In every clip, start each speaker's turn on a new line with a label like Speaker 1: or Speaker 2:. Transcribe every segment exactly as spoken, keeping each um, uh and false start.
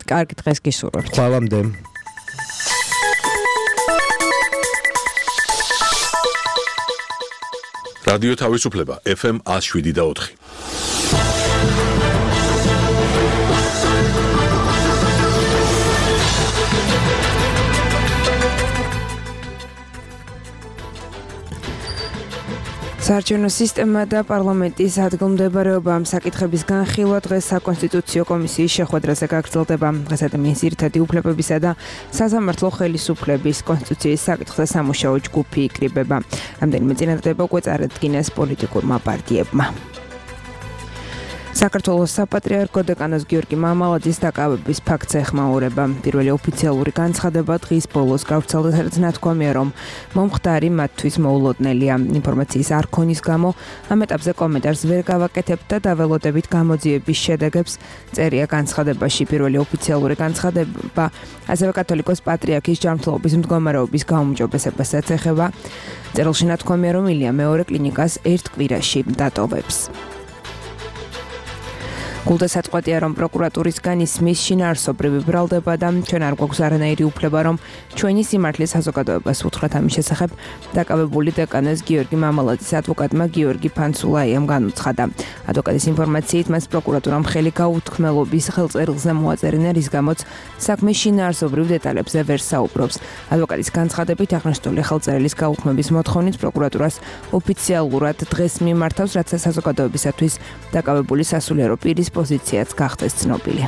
Speaker 1: კარგი დღეს გისურვებთ.
Speaker 2: ხვალამდე.
Speaker 3: რადიო თავისუფლება ეფ ემ one oh seven და ოთხი.
Speaker 1: საარჩევნო სისტემა და პარლამენტის ადგილმდებარეობა ამ საკითხების განხილვა დღეს საკონსტიტუციო კომისიის შეხვედრაზე გაგრძელდება. დღეს ადამიანის ძირითადი უფლებებისა და სასამართლო ხელისუფლების კონსტიტუციის საკითხზე სამუშაო ჯგუფი იკრიბება. რამდენიმე წინადადება უკვე წარადგინეს პოლიტიკურმა პარტიებმა. საქართველოს საპატრიარქო დეკანოს გიორგი მამალაძის დაკავების ფაქტს ეხმაურება. პირველი ოფიციალური განცხადება დღის ბოლოს გავრცელდა, სადაც ნათქვამია, რომ მომხდარი მათთვის მოულოდნელია. ინფორმაციის არ ქონის გამო ამ ეტაპზე კომენტარს ვერ გავაკეთებთ და დაველოდებით გამოძიების შედეგებს. წერია განცხადებაში. პირველი ოფიციალური განცხადება ასევე კათოლიკოს პატრიარქის ჯანმრთელობის მდგომარეობის გაუმჯობესებასაც ეხება. წერილში ნათქვამია, რომ ილია მეორე კლინიკას ერთ კვირაში დატოვებს. გულდასაწყვეტია, რომ პროკურატურისგან ისმის შინაარსობრივი ბრალდება და ჩვენ არ გვაქვს არანაირი უფლება, რომ ჩვენი სიმართლის საზოგადოებას უთხრათ ამის შესახებ. დაკავებული დეკანოს გიორგი მამალაძის ადვოკატმა გიორგი ფანცულაიამ განუცხადა. ადვოკატის ინფორმაციით მას პროკურატურამ ხელი გაუთქმელობის ხელწერილზე მოაწერინა, რის გამოც საქმის შინაარსობრივ დეტალებზე ვერ საუბრობს. ადვოკატის განცხადებით აღნიშნული ხელწერილის გაუქმების მოთხოვნით პროკურატურას ოფიციალურად დღეს მიმართავს, რაც საზოგადოებისათვის დაკავებული სასულიერო პირის პოზიციაც გახდეს ცნობილი.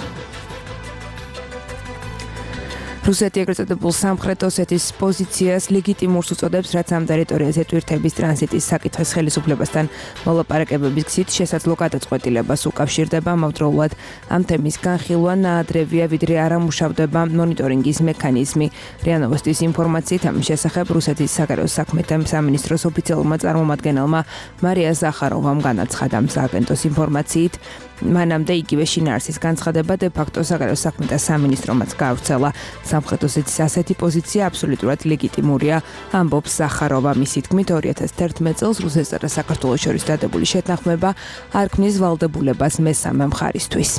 Speaker 1: რუსეთი ეგრეთ წოდებულ სამხრეთ ოსეთის პოზიციას ლეგიტიმურს უწოდებს, რაც ამ ტერიტორიაზე ტვირთების ტრანზიტის საკითხის ხელისუფლებასთან მოლაპარაკებების გზით შესაძლო გადაწყვეტილებას უკავშირდება. ამავდროულად ამ თემის განხილვა ნაადრევია, ვიდრე არ ამუშავდება მონიტორინგის მექანიზმი. რია ნოვოსტის ინფორმაციით ამის შესახებ რუსეთის საგარეო საქმეთა სამინისტროს ოფიციალურმა წარმომადგენელმა მარია ზახაროვამ განაცხადა. სააგენტოს ინფორმაციით მანამდე იგივე შინაარსის განცხადება დე ფაქტო საგარეო საქმეთა სამინისტრომაც გაავრცელა. სამხრეთ ოსეთის ასეთი პოზიცია აბსოლუტურად ლეგიტიმურია, ამბობს ზახაროვა. მისი თქმით, ორი ათას თერთმეტ წელს რუსეთსა და საქართველოს შორის დადებული შეთანხმება არ ქმნის ვალდებულებას მესამე მხარისთვის.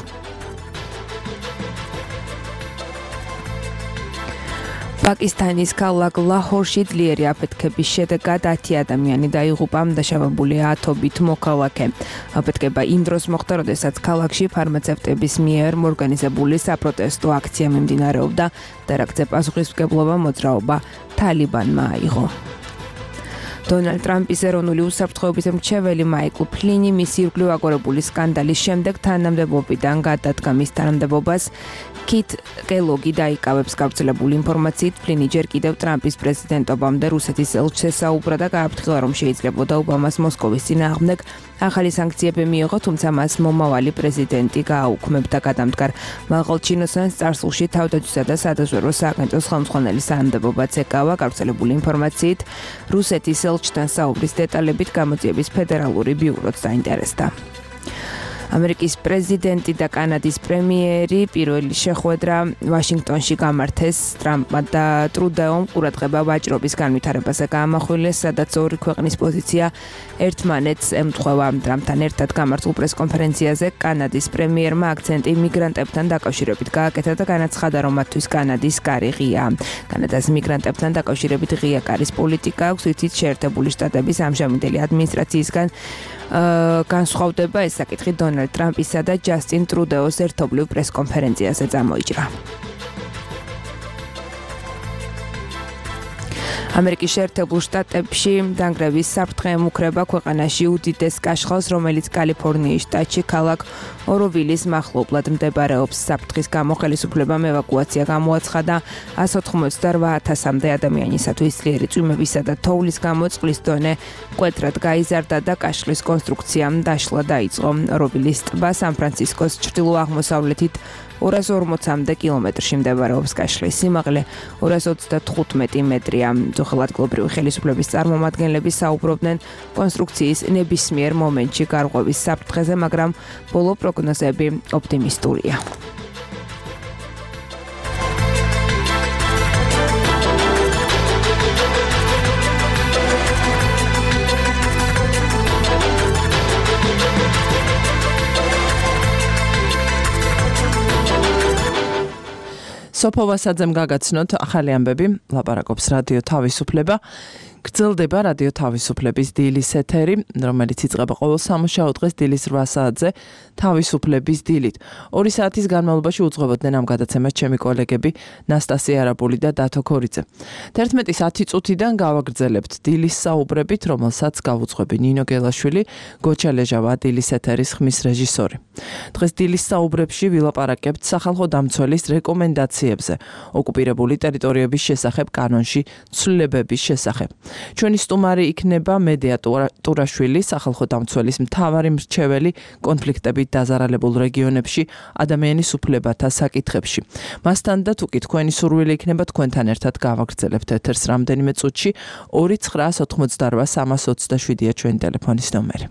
Speaker 1: პაკისტანის ქალაქ ლაჰორში ძლიერი აფეთქების შედეგად ათი ადამიანი დაიღუპა, დაშავებულია ათობით მოქალაქე. აფეთქება იმ დროს მოხდა, როდესაც ქალაქში ფარმაცევტების მიერ ორგანიზებული საპროტესტო აქცია მიმდინარეობდა და რაგზე პასუხისმგებლობა მოძრაობა თალიბანმა აიღო. დონალდ ტრამპის ეროვნული უსაფრთხოების მრჩეველი მაიკლ ფლინი მისი ირგვლივ აგორებული სკანდალის შემდეგ თანამდებობიდან გადადგა. მის თანამდებობას კით კელოგი დაიკავებს. გავრცელებული ინფორმაციით ფლინი ჯერ კიდევ ტრამპის პრეზიდენტობამდე რუსეთის ელჩს ესაუბრა და გააფრთხილა, რომ შეიძლებოდა ობამას მოსკოვის წინააღმდეგ ახალი სანქციები მიიღო, თუმცა მას მომავალი პრეზიდენტი გააუქმებდა. გადამდგარ მაღალ ჩინოსანს წარსულში თავდაცვისა და სადაზვერვო სააგენტოს ხელმძღვანელის თანამდებობაც ეკავა. გავრცელებული ინფორმაციით რუსეთის ელჩთან საუბრის დეტალებით გამოძიების ფედერალური ბიუროც დაინტერესდა. ამერიკის პრეზიდენტი და კანადის პრემიერი პირველი შეხვედრა ვაშინგტონში გამართეს. ტრამპმა და ტრუდეომ ყურადღება ვაჭრობის განვითარებაზე გაამახვილეს, სადაც ორი ქვეყნის პოზიცია ერთმანეთს ემთხვევა. ტრამპთან ერთად გამართულ პრესკონფერენციაზე კანადის პრემიერმა აქცენტი მიგრანტებთან დაკავშირებით გააკეთა და განაცხადა, რომ მათთვის კანადის კარი ღია. კანადას მიგრანტებთან დაკავშირებით ღია კარის პოლიტიკა აქვს, რითიც შეერთებული შტატების ამჟამინდელი ადმინისტრაციისგან განსხვავდება. ეს საკითხი დონალდ ტრამპისა და ჯასტინ ტრუდეოს ერთობლივ პრესკონფერენციაზე წამოიჭრა. ამერიკის შეერთებულ შტატებში დანგრევის საფრთხე ემუქრება ქვეყანაში უდიდეს კაშხალს, რომელიც კალიფორნიის შტატში ქალაქ ოროვილის მახლობლად მდებარეობს. საფრთხის გამო ხელისუფლებამ ევაკუაცია გამოაცხადა. ასი ოცდაოთხ ათასამდე ადამიანისათვის ძლიერი წვიმებისა და თოვლის გამო წყლის დონე მკვეთრად გაიზარდა და კაშხლის კონსტრუქციამ დაშლა დაიწყო. ოროვილის ტბა სან-ფრანცისკოს ჩრდილო-აღმოსავლეთით ორას ორმოცამდე კილომეტრში მდებარეობს. კაშხლის სიმაღლე ორას ოცდათხუთმეტი მეტრია. ძოხელ ადგილობრივი ხელისუფლების წარმომადგენლები საუბრობდნენ კონსტრუქციის ნებისმიერ მომენტში გარღვევის საფრთხეზე, მაგრამ ბოლო პროგნოზები ოპტიმისტურია.
Speaker 2: სოფო ვასაძემ გაგაცნოთ ახალი ამბები, ლაპარაკობს რადიო თავისუფლება. გრძელდება რადიო თავისუფლების დილის ეთერი, რომელიც იწყება ყოველ სამუშაო დღეს დილის რვა საათზე თავისუფლების დილით. ორი საათის განმავლობაში უძღვებოდნენ ამ გადაცემას ჩემი კოლეგები ნასტასია არაბული და დათო ქორიძე. თერთმეტის ათი წუთიდან გავაგრძელებთ დილის საუბრებით, რომელსაც გავუძღვები ნინო გელაშვილი, გოჩა ლეჟავა დილის ეთერის ხმის რეჟისორი. დღეს დილის საუბრებში ვილაპარაკებთ სახალხო დამცველის რეკომენდაციებზე, ოკუპირებული ტერიტორიების შესახებ კანონში ცვლილებების შესახებ. ჩვენი სტუმარი იქნება მედია ტურაშვილი, სახალხო დამცველის მთავარი მრჩეველი კონფლიქტებით დაზარალებულ რეგიონებში ადამიანის უფლებათა საკითხებში. მასთან და თუკი თქვენი სურვილი იქნება თქვენთან ერთად გავაგრძელებთ ეთერს რამდენიმე წუთში ორი ცხრა ოთხმოცდარვა სამას ოცდაშვიდია ჩვენი ტელეფონის ნომერი.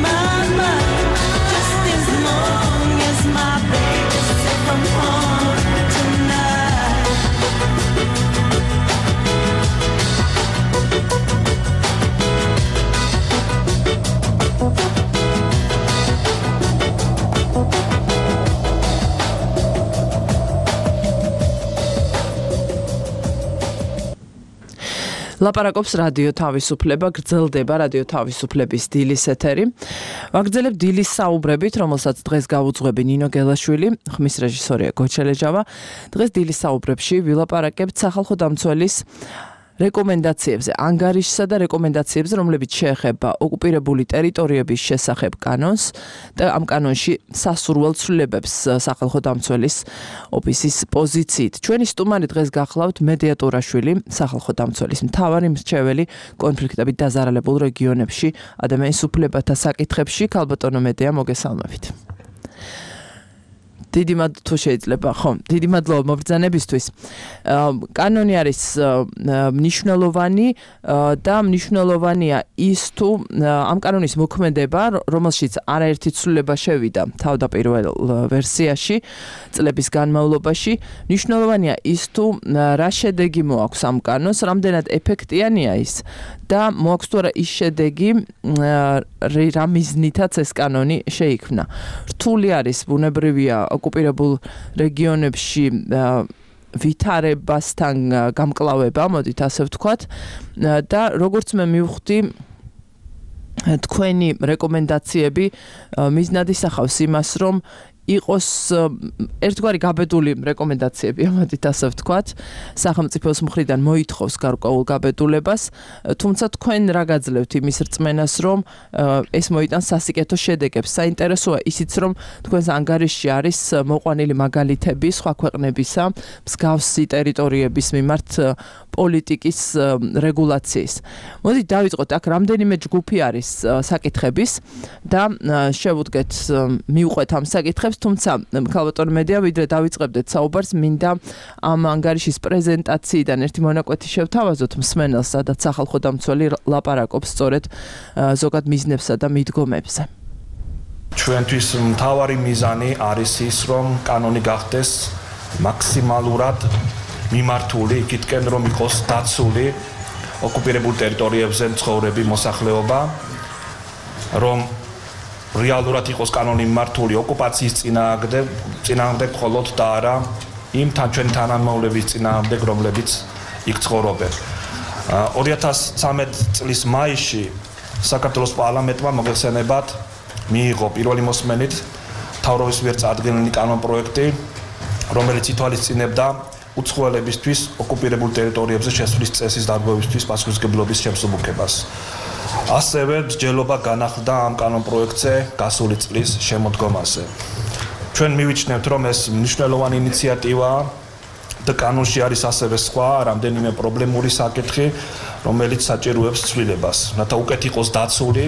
Speaker 4: My
Speaker 2: ლაპარაკობს რადიო თავისუფლება, გრძელდება რადიო თავისუფლების დილის ეთერი. ვაგრძელებ დილის საუბრებით, რომელსაც დღეს გავუძღვები ნინო გელაშვილი, ხმის რეჟისორია გოჩელეჯავა. დღეს დილის საუბრებში ვილაპარაკებთ სახალხო დამცველის რეკომენდაციებზე, ანგარიშსა და რეკომენდაციებზე, რომლებიც შეეხება ოკუპირებული ტერიტორიების შესახებ კანონს და ამ კანონში სასურველ ცვლილებებს სახალხო დამცველის ოფისის პოზიციით. ჩვენი სტუმარი დღეს გახლავთ მედიატურაშვილი, სახალხო დამცველის მთავარი მრჩეველი კონფლიქტებით დაზარალებულ რეგიონებში, ადამიანის უფლებათა საკითხებში. ქალბატონო მედია, მოგესალმებით. დიდი მადლობა თუ შეიძლება, ხო, დიდი მადლობა მობრძანებისთვის. კანონი არის მნიშვნელოვანი და მნიშვნელოვანია ის თუ ამ კანონის მოქმედება, რომელშიც არაერთი ცვლილება შევიდა თავდაპირველ ვერსიაში, წლების განმავლობაში, მნიშვნელოვანია ის თუ რა შედეგი მოაქვს ამ კანონს, რამდენად ეფექტიანია ის და მოაქვს თუ არა ის შედეგი, რა მიზნითაც ეს კანონი შეიქმნა. რთული არის, ბუნებრივია, ოკუპირებულ რეგიონებში ვითარებასთან გამკლავება, მოდით ასე ვთქვათ, და როგორც მე მივხვდი, თქვენი რეკომენდაციები მიზნად ისახავს იმას, რომ იყოს ერთგვარი გაბედული რეკომენდაციები, ამოდით ასე ვთქვათ, სახელმწიფოს მხრიდან მოითხოვს გარკვეულ გაბედულებას, თუმცა თქვენ რა გაძლევთ იმის რწმენას, რომ ეს მოიტანს სასიკეთო შედეგებს. საინტერესოა ისიც, რომ თქვენს ანგარიშში არის მოყვანილი მაგალითები სხვა ქვეყნებისა, მსგავსი ტერიტორიების მიმართ პოლიტიკის რეგულაციის. მოდით დავიწყოთ, აქ რამდენიმე ჯგუფი არის საკითხების და შევუდგეთ, მივყვეთ ამ საკითხებს. თუმცა ქალბატონო მედია, ვიდრე დავიწყებდეთ საუბარს, მინდა ამ ანგარიშის პრეზენტაციიდან ერთი მონაკვეთი შევთავაზოთ მსმენელს, სადაც სახალხო დამცველი ლაპარაკობს სწორედ ზოგად მიზნებსა და მიდგომებზე.
Speaker 4: ჩვენთვის მთავარი მიზანი არის ის, რომ კანონი გახდეს მაქსიმალურად მიმართული იქითკენ, რომ იყოს დაცული ოკუპირებულ ტერიტორიებზე მცხოვრები მოსახლეობა, რომ რეალურად იყოს კანონი მიმართული ოკუპაციის წინააღმდეგ, წინააღმდეგ მხოლოდ და არა იმ ჩვენი თანამშრომლების წინააღმდეგ, რომლებიც იქ ცხოვრობენ. ორი ათას ცხრამეტ წლის მაისში საქართველოს პარლამენტმა მოგეხსენებათ მიიღო პირველი მოსმენით მთავრობის მიერ წარდგენილი კანონპროექტი, რომელიც ითვალისწინებდა უცხოელებისთვის ოკუპირებულ ტერიტორიებზე შესვლის წესის დარღვევისთვის პასუხისმგებლობის შემსუბუქებას. ასევე მსჯელობა განახლდა ამ კანონპროექტზე გასული წლის შემოდგომაზე. ჩვენ მივიჩნევთ, რომ ეს მნიშვნელოვანი ინიციატივაა და კანონში არის ასევე სხვა რამდენიმე პრობლემური საკითხი, რომელიც საჭიროებს ცვლილებას, რათა უკეთ იყოს დაცული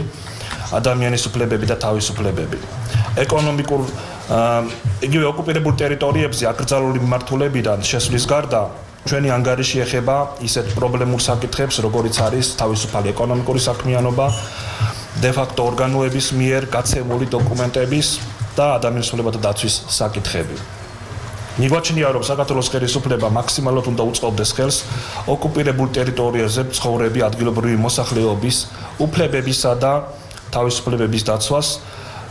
Speaker 4: ადამიანის უფლებები და თავისუფლებები. ეკონომიკურ იგივე ოკუპირებულ ტერიტორიებზე აკრძალული მიმართულებიდან შესვლის გარდა ჩვენი ანგარიში ეხება ისეთ პრობლემურ საკითხებს, როგორიც არის თავისუფალი ეკონომიკური საქმიანობა, დე-ფაქტო ორგანოების მიერ გაცემული დოკუმენტების და ადამიანის უფლებათა დაცვის საკითხები. მიგვაჩნია, რომ საქართველოს ხელისუფლება მაქსიმალურად უნდა უწყობდეს ხელს ოკუპირებულ ტერიტორიაზე მცხოვრები ადგილობრივი მოსახლეობის უფლებებისა და თავისუფლებების დაცვას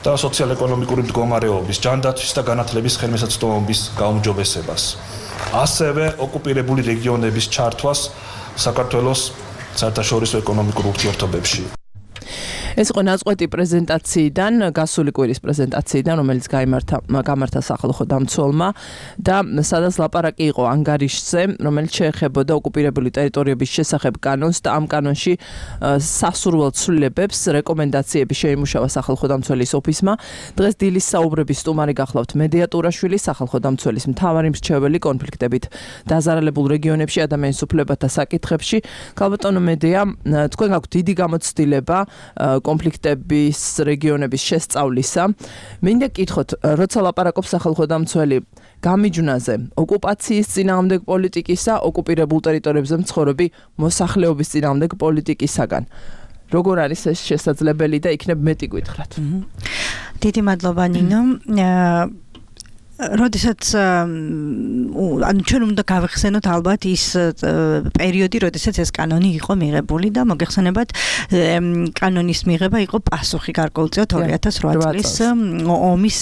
Speaker 4: და სოციალ-ეკონომიკური მდგომარეობის, ჯანდაცვის და განათლების ხელმისაწვდომობის გაუმჯობესებას. ასევე ოკუპირებული რეგიონების ჩართვას საქართველოს საერთაშორისო ეკონომიკურ ურთიერთობებში.
Speaker 2: ეს იყო ნაწყვეტი პრეზენტაციიდან, გასული კვირის პრეზენტაციიდან, რომელიც გაიმართა გამართა სახალხო დამცველმა და სადაც ლაპარაკი იყო ანგარიშზე, რომელიც შეეხებოდა ოკუპირებული ტერიტორიების შესახებ კანონს და ამ კანონში სასურველ ცვლილებებს, რეკომენდაციები შეიმუშავა სახალხო დამცველის ოფისმა. დღეს დილის საუბრების სტუმარი გახლავთ მედიატურაშვილი, სახალხო დამცველის მთავარი მრჩეველი კონფლიქტებით დაზარალებულ რეგიონებში, ადამიანის უფლებათა საკითხებში. ქალბატონო მედია, თქვენ გაქვთ დიდი გამოცდილება კონფლიქტების რეგიონების შესწავლისა. მინდა გითხოთ, როცა ლაპარაკობს სახალხო დამცველი გამიჯვნაზე, ოკუპაციის წინააღმდეგ პოლიტიკისა, ოკუპირებულ ტერიტორიებზე მცხოვრები მოსახლეობის წინააღმდეგ პოლიტიკისაგან. როგორ არის ეს შესაძლებელი და იქნებ მეტი გითხრათ?
Speaker 5: დიდი მადლობა ნინო. როდესაც ანუ ჩვენ უნდა გავიხსენოთ ალბათ ის პერიოდი, როდესაც ეს კანონი იყო მიღებული და მოგეხსენებათ კანონის მიღება იყო პასუხი გარკვეულწილად ორი ათას რვა წლის ომის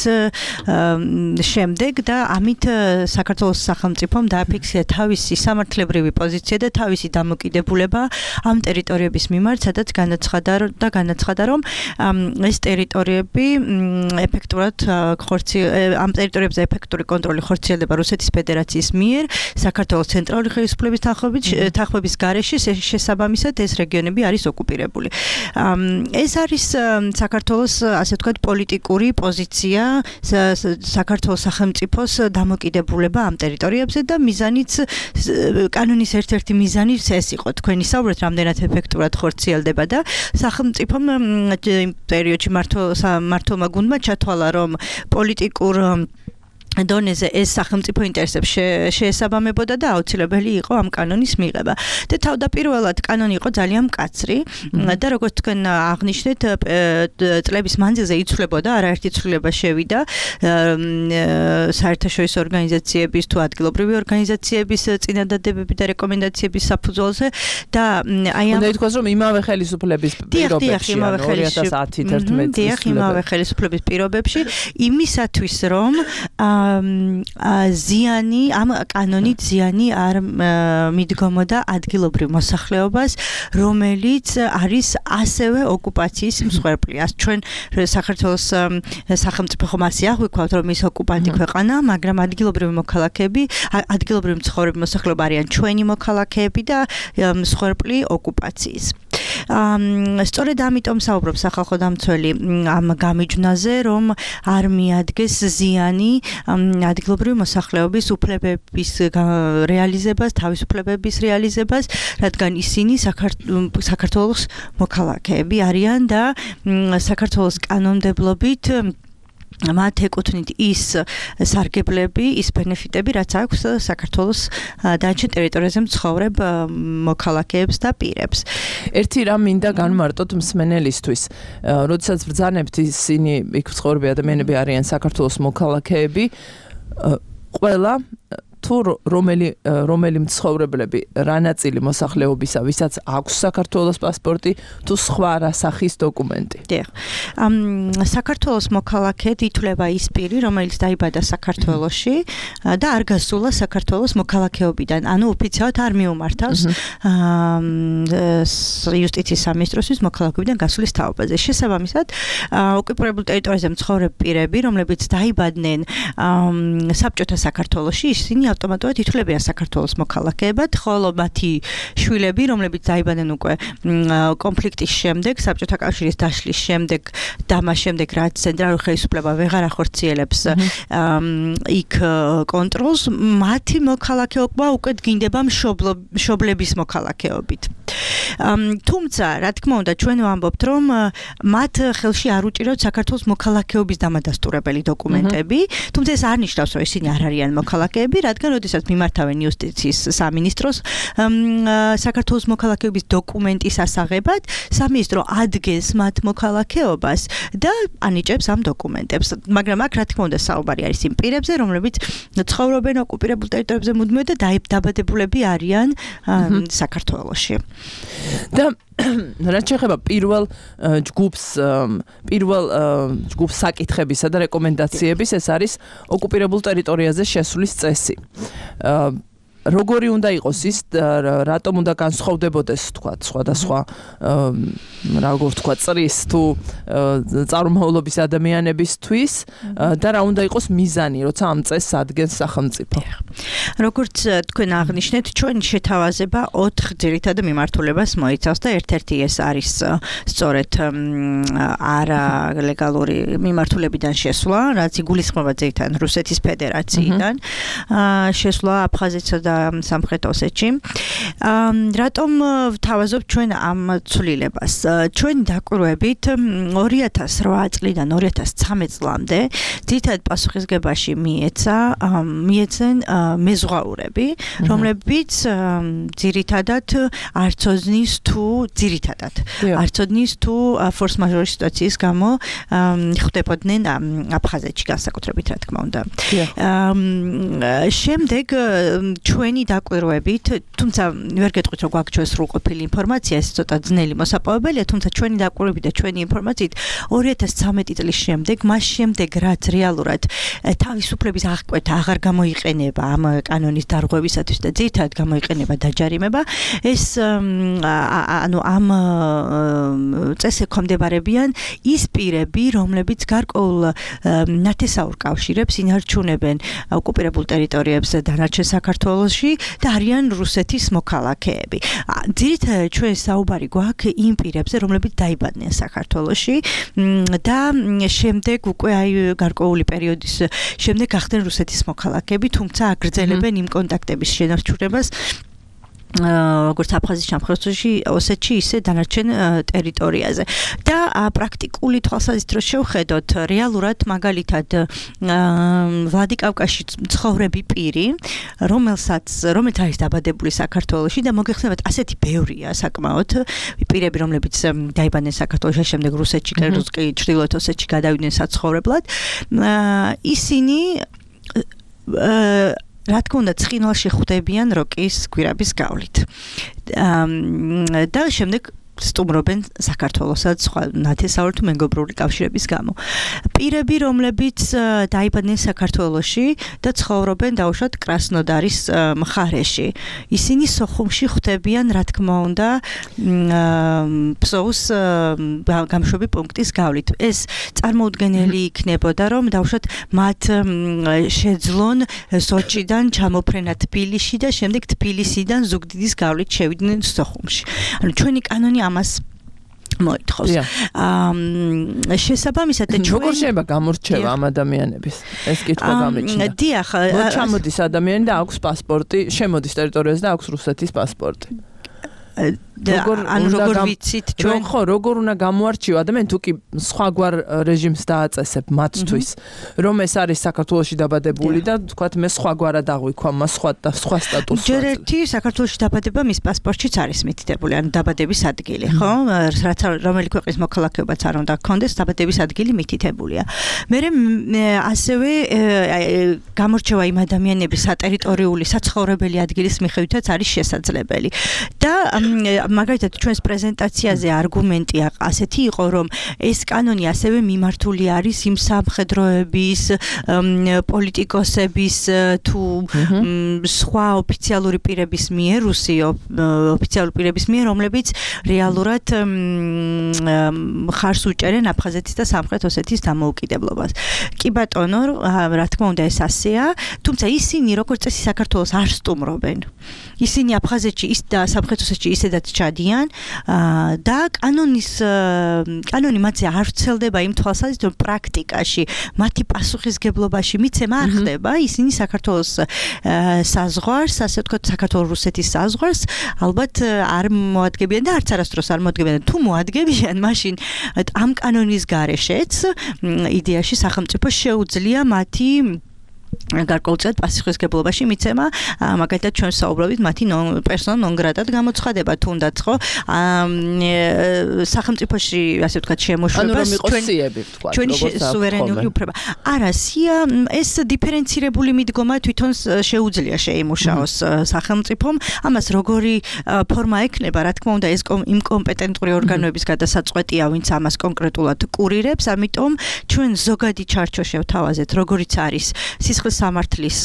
Speaker 5: შემდეგ და ამით საქართველოს სახელმწიფომ დააფიქსირა თავისი სამართლებრივი პოზიცია და თავისი დამოკიდებულება ამ ტერიტორიების მიმართ, სადაც განაცხადა და განაცხადა რომ ეს ტერიტორიები ეფექტურად ხორციელდება ამ ტერიტორიებზე ეფექტური კონტროლი ხორციელდება რუსეთის ფედერაციის მიერ საქართველოს ცენტრალური ხელისუფლების თანხმობის გარეშე შესაბამისად ეს რეგიონები არის ოკუპირებული. ეს არის საქართველოს ასე ვთქვათ პოლიტიკური პოზიცია საქართველოს სახელმწიფოს დამოკიდებულება ამ ტერიტორიებზე და მიზანიც კანონის ერთ-ერთი მიზანიც ეს იყო თქვენი საუბრით რამდენად ეფექტურად ხორციელდება და სახელმწიფომ იმ პერიოდში მმართველმა გუნდმა ჩათვალა რომ პოლიტიკურ დონეზე ეს სახელმწიფო ინტერესებს შეესაბამებოდა და აუცილებელი იყო ამ კანონის მიღება. და თავდაპირველად კანონი იყო ძალიან მკაცრი და როგორც თქვენ აღნიშნეთ, წლების მანძილზე იცვლებოდა, არაერთი ცვლილება შევიდა საერთაშორისო ორგანიზაციების თუ ადგილობრივი ორგანიზაციების წინადადებები და რეკომენდაციების საფუძველზე და აი ამ
Speaker 2: უნდა ითქვას, რომ იმავე ხელისუფლების პირობებში ორი ათას ათი თერთმეტი
Speaker 5: დიახ, იმავე ხელისუფლების პირობებში იმისათვის რომ ზიანი ამ კანონით ზიანი არ მიდგომოდა ადგილობრივ მოსახლეობას, რომელიც არის ასევე ოკუპაციის მსხვერპლი. ας ჩვენ საქართველოს სახელმწიფო ხომ ასე აღვიქვათ, რომ ის ოკუპანტი ქვეყანა, მაგრამ ადგილობრივი მოქალაქეები, ადგილობრივი მცხოვრები მოსახლეობა არიან ჩვენი მოქალაქეები და მსხვერპლი ოკუპაციის. სწორედ ამიტომ საუბრობს სახალხო დამცველი ამ გამიჯვნაზე, რომ არ მიადგეს ზიანი ადგილობრივი მოსახლეობის უფლებების რეალიზებას, თავისუფლებების რეალიზებას, რადგან ისინი საქართველოს მოქალაქეები არიან და საქართველოს კანონმდებლობით მათ ეკუთვნით ის სარგებლები, ის ბენეფიტები, რაც აქვს საქართველოს დანარჩენ ტერიტორიაზე მცხოვრებ მოქალაქეებს და პირებს.
Speaker 2: ერთი რამ მინდა განმარტოთ მსმენელისთვის. როდესაც ბრძანებთ ისინი იქ მცხოვრები ადამიანები არიან საქართველოს მოქალაქეები, ყველა თუ რომელი რომელი მცხოვრებლები რა ნაწილი მოსახლეობისა, ვისაც აქვს საქართველოს პასპორტი, თუ სხვა რა სახის დოკუმენტი.
Speaker 5: დიახ. საქართველოს მოქალაქედ ითვლება ის პირი, რომელიც დაიბადა საქართველოში და არ გასულა საქართველოს მოქალაქეობიდან, ანუ ოფიციალურად არ მიუმართავს იუსტიციის სამინისტროსთვის მოქალაქეობიდან გასulis თაობაზე. შესაბამისად, ოკუპირებულ ტერიტორიაზე მცხოვრებ პირები, რომლებიც დაიბადნენ საბჭოთა საქართველოში, ისინი ავტომატურად ითვლებიან საქართველოს მოქალაქეებად, ხოლო მათი შვილები, რომლებიც დაიბადნენ უკვე კონფლიქტის შემდეგ, საბჭოთა კავშირის დაშლის შემდეგ და მას შემდეგ, რაც ცენტრალური ხელისუფლება ვეღარ ახორციელებს იქ კონტროლს, მათი მოქალაქეობა უკვე დგინდება მშობლების მოქალაქეობით. თუმცა, რა თქმა უნდა, ჩვენ ვამბობთ, რომ მათ ხელში არ უჭირავთ საქართველოს მოქალაქეობის დამადასტურებელი დოკუმენტები, თუმცა ეს არ ნიშნავს, რომ ისინი არ არიან მოქალაქეები, რადგან როდესაც მიმართავენ იუსტიციის სამინისტროს საქართველოს მოქალაქეობის დოკუმენტის ასაღებად, სამინისტრო ადგენს მათ მოქალაქეობას და ანიჭებს ამ დოკუმენტებს. მაგრამ აქ რა თქმა უნდა საუბარი არის იმ პირებზე, რომლებიც ცხოვრობენ ოკუპირებულ ტერიტორიებზე მუდმივად და დაიბადებულები არიან საქართველოში.
Speaker 2: და რაც შეეხება პირველ ჯგუფს, პირველ ჯგუფს საკითხებისა და რეკომენდაციების, ეს არის ოკუპირებულ ტერიტორიაზე შესვლის წესი. როგორი უნდა იყოს ის, რატომ უნდა განსხვავდებოდეს, თქვა, სხვადასხვა როგორ ვთქვა, წრის თუ წარმომავლობის ადამიანებისთვის და რა უნდა იყოს მიზანი, როცა ამ წესს ადგენს სახელმწიფო.
Speaker 5: როგორც თქვენ აღნიშნეთ, ჩვენ შეთავაზება ოთხ ძირითად მიმართულებას მოიცავს და ერთ-ერთი ეს არის სწორედ არალეგალური მიმართულებიდან შესვლა, რაც იგულისხმება ძირითადად რუსეთის ფედერაციიდან, შესვლა აფხაზეთსა და და სამხრეთ ოსეთში. რატომ ვთავაზობ ჩვენ ამ ცვლილებას? ჩვენი დაკვირვებით ორი ათას რვა წლიდან ორი ათას ცხრამეტ წლამდე ძირითადად პასუხისგებაში მიეცა მიეცენ მეზღვაურები, რომლებიც ძირითადად არ ცოდნის თუ ძირითადად არ ცოდნის თუ ფორს მაჟორის სიტუაციის გამო ხვდებოდნენ აფხაზეთში განსაკუთრებით რა თქმა უნდა. შემდეგ ჩვენი დაკვირვებით, თუმცა ვერ გეტყვით რომ გვაქვს ჩვენ სრულყოფილი ინფორმაცია, ეს ცოტა ძნელი მოსაპოვებელია, თუმცა ჩვენი დაკვირვებით და ჩვენი ინფორმაციით ორი ათას ცხრამეტი წლის შემდეგ, მას შემდეგ რაც რეალურად თავისუფლების აღკვეთა აღარ გამოიყენება ამ კანონის დარღვევისათვის და ძირითადად გამოიყენება დაჯარიმება, ეს ანუ ამ წესზე ქვემდებარებიან ის პირები, რომლებიც გარკვეულ ნათესაურ კავშირებს ინარჩუნებენ ოკუპირებულ ტერიტორიებზე დანარჩენ საქართველოში და არიან რუსეთის მოქალაქეები. ძირითადად ჩვენ საუბარი გვაქვს იმ პირებზე, რომლებიც დაიბადნენ საქართველოში და შემდეგ უკვე აი გარკვეული პერიოდის შემდეგ გახდნენ რუსეთის მოქალაქეები, თუმცა აგრძელებენ იმ კონტაქტების შენარჩუნებას როგორც აფხაზეთის სამხრეთში, ოსეთში, ისე დანარჩენ ტერიტორიაზე. და პრაქტიკული თვალსაზრისით რო შევხედოთ, რეალურად მაგალითად ვლადიკავკაზში ცხოვრები პირი, რომელსაც რომელიც არის დაბადებული საქართველოში და მოგეხსენებათ, ასეთი ბევრია საკმაოდ პირები, რომლებიც დაიბადნენ საქართველოში, შემდეგ რუსეთში, კი ჩრდილოეთ ოსეთში გადავიდნენ საცხოვრებლად. ისინი რა თქმა უნდა ცხინვალში ხვდებიან როკის გვირაბის გავლით. და შემდეგ სტუმრობენ საქართველოსაც სხვა ნათესაურ თუ მეგობრული კავშირების გამო. პირები, რომლებიც დაიბადნენ საქართველოში და ცხოვრობენ დაუშვათ კრასნოდარის მხარეში. ისინი სოხუმში ხვდებიან, რა თქმა უნდა, ფსოუს გამშვები პუნქტის გავლით. ეს წარმოუდგენელი იქნებოდა, რომ დაუშვათ მათ შეძლონ სოჭიდან ჩამოფრენა თბილისში და შემდეგ თბილისიდან ზუგდიდის გავლით შევიდნენ სოხუმში. ანუ ჩვენი კანონი ამას მოითხოვს. აა შესაბამისად ჩვენ
Speaker 2: როგორ შეიძლება გამორჩევა ამ ადამიანების? ეს კითხვა გამეჩნდა.
Speaker 5: დიახ,
Speaker 2: მოჩამოდის ადამიანი და აქვს პასპორტი, შემოდის ტერიტორიაზე და აქვს რუსეთის პასპორტი.
Speaker 5: როგორ ანუ როგორ ვიცით ჩვენ
Speaker 2: ხო როგორ უნდა გამოარჩიო ადამიანი თუ კი სხვაგვარ რეჟიმს დააწესებ მათთვის რომ ეს არის საქართველოში დაბადებული და თქვათ მე სხვაგვარად აღვიქვა მას სხვა და სხვა სტატუსი
Speaker 5: ჯერ ერთი საქართველოში დაბადება მის პასპორტშიც არის მითითებული ანუ დაბადების ადგილი ხო რაც რომელი ქვეყნის მოქალაქეობაც არ უნდა გქონდეს დაბადების ადგილი მითითებულია მე ასევე გამორჩევა იმ ადამიანების სატერიტორიული საცხოვრებელი ადგილის მიხედვითაც არის შესაძლებელი და მაგალითად ჩვენს პრეზენტაციაზე არგუმენტი ასეთი იყო რომ ეს კანონი ასევე მიმართული არის იმ სამხედროების პოლიტიკოსების თუ სხვა ოფიციალური პირების მიერ რუსი ოფიციალური პირების მიერ რომლებიც რეალურად ხარს უჭერენ აფხაზეთის და სამხრეთ ოსეთის დამოუკიდებლობას კი ბატონო რა თქმა უნდა ეს ასეა თუმცა ისინი როგორც წესი საქართველოს არ სტუმრობენ ისინი აფხაზეთში ის და სამხრეთ ოსეთში ისედაც ჩადიან და კანონის კანონი მათზე არ ვრცელდება იმ თვალსაზრისით რომ პრაქტიკაში მათი პასუხისგებლობაში მიცემა არ ხდება ისინი საქართველოს საზღვარს ასე ვთქვათ საქართველოს-რუსეთის საზღვარს ალბათ არ მოადგებიან და არც არასდროს არ მოადგებიან თუ მოადგებიან მაშინ ამ კანონის გარეშეც იდეაში სახელმწიფო შეუძლია მათი გარკვეულწილად პასუხისგებლობაში მიცემა მაგალითად ჩვენ საუბრობთ მათი პერსონა ნონ გრატად გამოცხადება თუნდაც ხო სახელმწიფოში ასე ვთქვათ შემოშვებას ჩვენი სუვერენული უფლება არა სია ეს დიფერენცირებული მიდგომა თვითონ შეუძლია შეიმუშაოს სახელმწიფომ ამას როგორი ფორმა ექნება რა თქმა უნდა ეს იმ კომპეტენტური ორგანოების გადასაწყვეტია ვინც ამას კონკრეტულად კურირებს ამიტომ ჩვენ ზოგადი ჩარჩო შევთავაზეთ როგორიც არის სისხლის სამართლის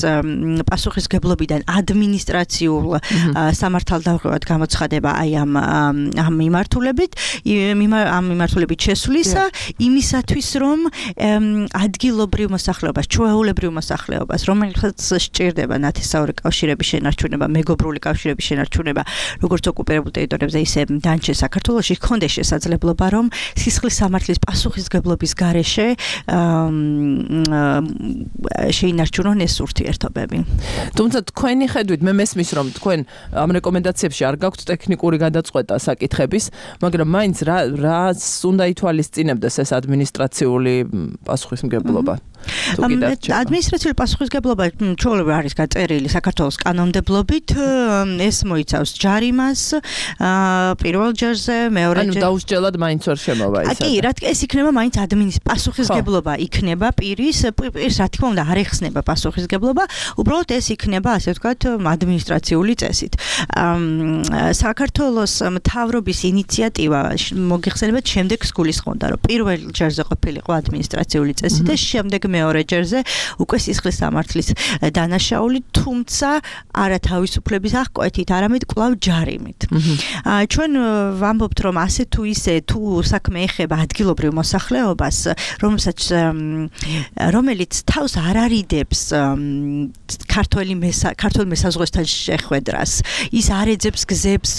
Speaker 5: პასუხისგებლობიდან ადმინისტრაციულ სამართალდაღებად გამოცხადება აი ამ ამ მიმართულებით ამ მიმართულებით შესვლისა იმისათვის რომ ადგილობრივ მოსახლეობას ჩვეულებრივ მოსახლეობას რომელსაც სჭირდება ნათესაური კავშირების შენარჩუნება მეგობრული კავშირების შენარჩუნება როგორც ოკუპირებულ ტერიტორიებზე ისე დანარჩენ საქართველოში ჰქონდეს შესაძლებლობა რომ სისხლის სამართლის პასუხისგებლობის გარეშე შეინარჩუნოს მიარჩუნონ ეს ურთიერთობები.
Speaker 2: თუმცა თქვენი ხედვით მე მესმის რომ თქვენ ამ რეკომენდაციებში არ გაქვთ ტექნიკური გადაწყვეტა საკითხების, მაგრამ მაინც რა რას უნდა ითვალისწინებდეს ეს ადმინისტრაციული პასუხისმგებლობა?
Speaker 5: ადმინისტრაციული პასუხისმგებლობა ჩვეულებრივ არის გაწერილი საქართველოს კანონმდებლობით, ეს მოიცავს ჯარიმას, პირველ ჯერზე, მეორე
Speaker 2: ჯერზე. ანუ დაუსჯელად მაინც ვერ შემოვა ეს.
Speaker 5: კი, რა თქმა უნდა, ეს იქნება მაინც ადმინისტრაციის პასუხისმგებლობა იქნება პირის, პირს რა თქმა უნდა არ ეხსნება პასუხისმგებლობა, უბრალოდ ეს იქნება, ასე ვთქვათ, ადმინისტრაციული წესით. საქართველოს მთავრობის ინიციატივა მოგიხსენებათ შემდეგს გულისხმობდა, რომ პირველ ჯერზე ყოფილიყო ადმინისტრაციული წესი და შემდეგ მეორე ჯერზე უკვე სისხლის სამართლის დანაშაული, თუმცა არა თავისუფლების აღკვეთით, არამედ კვლავ ჯარიმით. ჩვენ ვამბობთ, რომ ასე თუ ისე თუ საქმე ეხება ადგილობრივ მოსახლეობას, რომელსაც რომელიც თავს არ არიდებს ქართველი ქართულ მესაზღვრესთან შეხვედრას, ის არ ეძებს გზებს,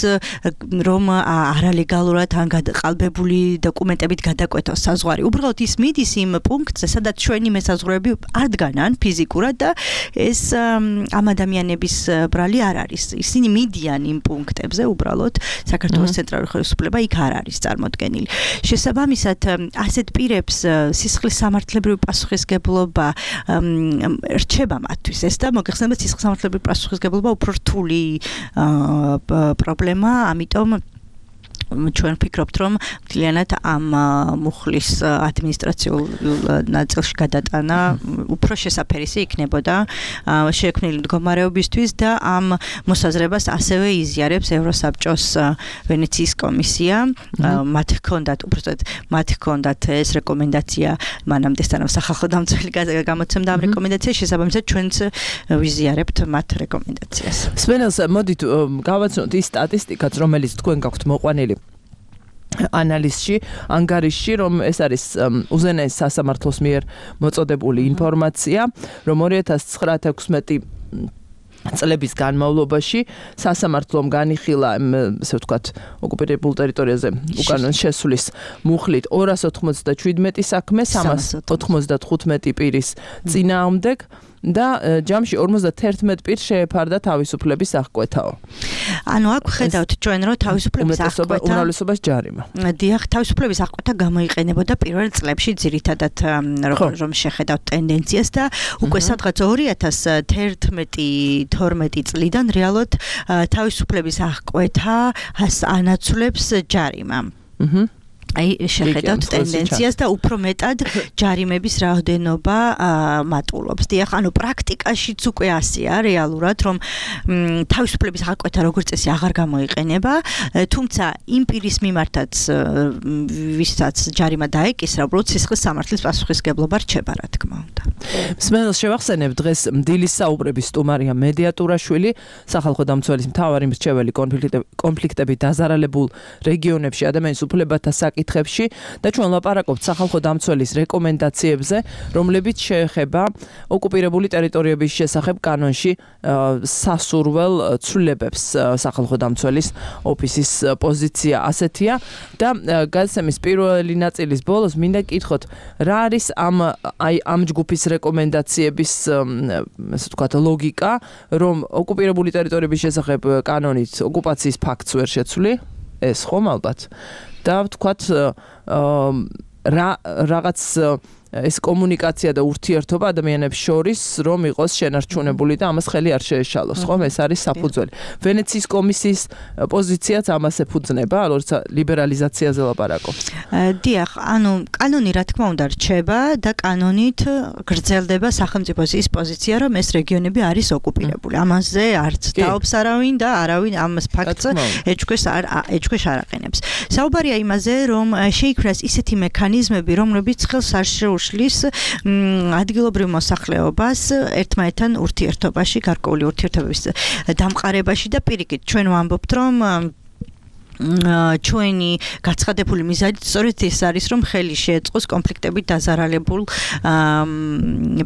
Speaker 5: რომ არალეგალურად ან გადაყალბებული დოკუმენტებით გადაკვეთოს საზღვარი. უბრალოდ ის მიდის იმ პუნქტზე, სადაც ჩვენი მესაზღვრეები არ დგანან ფიზიკურად და ეს ამ ადამიანების ბრალი არ არის. ისინი მიდიან იმ პუნქტებზე, უბრალოდ საქართველოს ცენტრალური ხელისუფლება იქ არ არის წარმოდგენილი. შესაბამისად, ასეთ პირებს სისხლის სამართლებრივი პასუხისმგებლობა რჩება მათთვის ეს და მოგეხსენებათ სისხლის სამართლებრივი პასუხისმგებლობა უფრო რთული პრობლემა, ამიტომ ჩვენ ვფიქრობთ, რომ მთლიანად ამ მუხლის ადმინისტრაციულ ნაწილში გადატანა უფრო შესაფერისი იქნებოდა შექმნილი მდგომარეობისთვის და ამ მოსაზრებას ასევე იზიარებს ევროსაბჭოს ვენეციის კომისია. მათ ჰქონდათ, უბრალოდ მათ ჰქონდათ ეს რეკომენდაცია მანამდე სანამ სახალხო დამცველი გამოცემდა ამ რეკომენდაციას, შესაბამისად ჩვენც ვიზიარებთ მათ რეკომენდაციას.
Speaker 2: სვენელს მოდით გავაცნოთ ის სტატისტიკაც, რომელიც თქვენ გაქვთ მოყვანილი ანალიზში, ანგარიშში, რომ ეს არის უზენაეს სასამართლოს მიერ მოწოდებული ინფორმაცია, რომ ორი ათას ცხრა-ათექვსმეტი წლების განმავლობაში სასამართლომ განიხილა, ასე ვთქვათ, ოკუპირებულ ტერიტორიაზე უკანონო შესვლის მუხლით ორას ოთხმოცდაშვიდმეტი საქმე, სამას ოთხმოცდათხუთმეტი პირის წინააღმდეგ და ჯამში ორმოცდათერთმეტი პირს შეეფარდა თავისუფლების აღკვეთაო.
Speaker 5: ანუ აქ ხედავთ ჩვენ, რომ თავისუფლების აღკვეთა
Speaker 2: უმრავლესობას ჯარიმა.
Speaker 5: დიახ, თავისუფლების აღკვეთა გამოიყენებოდა პირველ წლებში ძირითადად რომ შეხედავთ ტენდენციას და უკვე სადღაც ორი ათას თერთმეტი თორმეტი წლიდან რეალურად თავისუფლების აღკვეთა ანაცვლებს ჯარიმა. აჰა. აი შეხედავთ ტენდენციას და უფრო მეტად ჯარიმების რაოდენობა მატულობს. დიახ, ანუ პრაქტიკაშიც უკვე ასეა რეალურად, რომ თავისუფლების აღკვეთა როგორც წესი აღარ გამოიყენება, თუმცა იმ პირის მიმართაც ვისაც ჯარიმა დაეკისრა, უბრალოდ სისხლის სამართლის პასუხისმგებლობა რჩება, რა თქმა უნდა.
Speaker 2: მსმენელს შევახსენებ, დღეს დილის საუბრების სტუმარია მედიატურაშვილი, სახალხო დამცველის მთავარი მრჩეველი კონფლიქტებით დაზარალებულ რეგიონებში ადამიანის უფლებათა საკითხებში და ჩვენ ლაპარაკობთ სახალხო დამცველის რეკომენდაციებზე, რომლებიც შეეხება ოკუპირებული ტერიტორიების შესახებ კანონში სასურველ ცვლილებებს. სახალხო დამცველის ოფისის პოზიცია ასეთია და გადაცემის პირველი ნაწილის ბოლოს მინდა გკითხოთ, რა არის ამ აი ამ ჯგუფის რეკომენდაციების ასე ვთქვათ ლოგიკა, რომ ოკუპირებული ტერიტორიების შესახებ კანონით ოკუპაციის ფაქტს ვერ შეცვლი, ეს ხომ ალბათ. და ვთქვათ რა რაღაც ეს კომუნიკაცია და ურთიერთობა ადამიანებს შორის რომ იყოს შენარჩუნებული და ამას ხელი არ შეეშალოს, ხომ? ეს არის საფუძველი. ვენეციის კომისიის პოზიციაც ამას ეფუძნება, როცა ლიბერალიზაციაზე ლაპარაკობს.
Speaker 5: დიახ, ანუ კანონი რა თქმა უნდა რჩება და კანონით გრძელდება სახელმწიფოს ის პოზიცია, რომ ეს რეგიონები არის ოკუპირებული. ამაზე არც დაობს არავინ და არავინ ამას ფაქტს ეჭქვეშ არ ეჭქვეშ არ აყენებს. საუბარია იმაზე, რომ შეიქმნას ისეთი მექანიზმები, რომლებიც ხელს არ შეუშლის ადგილობრივ მოსახლეობას ერთმანეთთან ურთიერთობაში, გარკვეული ურთიერთობების დამყარებაში და პირიქით ჩვენ ვამბობთ, რომ ჩვენი გაცხადებული მიზანით სწორედ ეს არის, რომ ხელი შეეწყოს კონფლიქტებით დაზარალებულ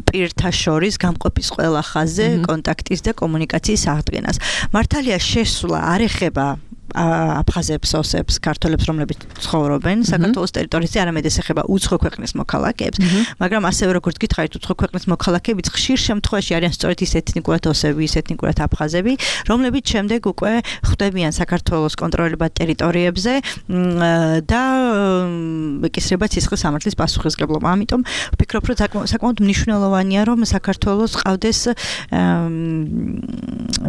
Speaker 5: პირთა შორის გამყოფის ყველა ხაზზე კონტაქტის და კომუნიკაციის აღდგენას. მართალია შესვლა არ ეხება აფხაზებს, ოსებს, ქართველებს, რომლებიც ცხოვრობენ საქართველოს ტერიტორიაზე, არამედ ეს ეხება უცხო ქვეყნის მოქალაქეებს, მაგრამ ასევე როგორც გითხარით, უცხო ქვეყნის მოქალაქეებიც ხშირ შემთხვევაში არიან სწორედ ის ეთნიკურად ოსები, ის ეთნიკურად აფხაზები, რომლებიც შემდეგ უკვე ხვდებიან საქართველოს კონტროლებად ტერიტორიებზე და ეკისრება ცისხლის სამართლის პასუხისმგებლობა. ამიტომ ვფიქრობ, რომ საკმაოდ მნიშვნელოვანია, რომ საქართველოს ყავდეს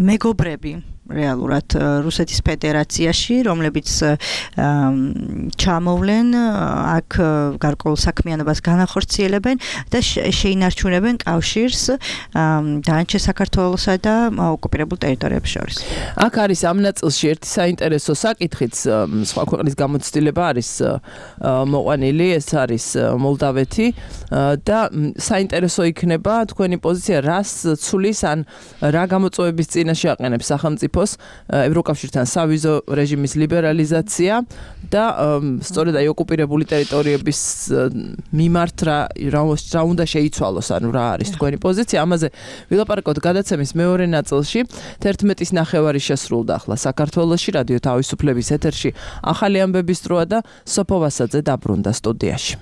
Speaker 5: მეგობრები რეალურად რუსეთის ფედერაციაში, რომლებიც ჩამოვლენ აქ გარკვეულ საქმიანობას განახორციელებენ და შეინარჩუნებენ კავშირს დანარჩენ საქართველოსა და ოკუპირებულ ტერიტორიებს შორის.
Speaker 2: აქ არის ამ ნაწილში ერთი საინტერესო საკითხიც, სხვა ქვეყნის გამოცდილება არის მოყვანილი, ეს არის მოლდავეთი და საინტერესო იქნება თქვენი პოზიცია, რას ცulis ან რა გამოწვევების წინაშე აყენებს სახელმწიფო ევროკავშირთან სავიზო რეჟიმის ლიბერალიზაცია და სწორედ აი ოკუპირებული ტერიტორიების მიმართ რა რა უნდა შეიცვალოს, ანუ რა არის თქვენი პოზიცია. ამაზე ვილაპარაკოთ გადაცემის მეორე ნაწილში. თერთმეტის ნახევარი შესრულდა ახლა საქართველოში, რადიო თავისუფლების ეთერში ახალი ამბების დროა და სოფო ვასაძე დაბრუნდა სტუდიაში.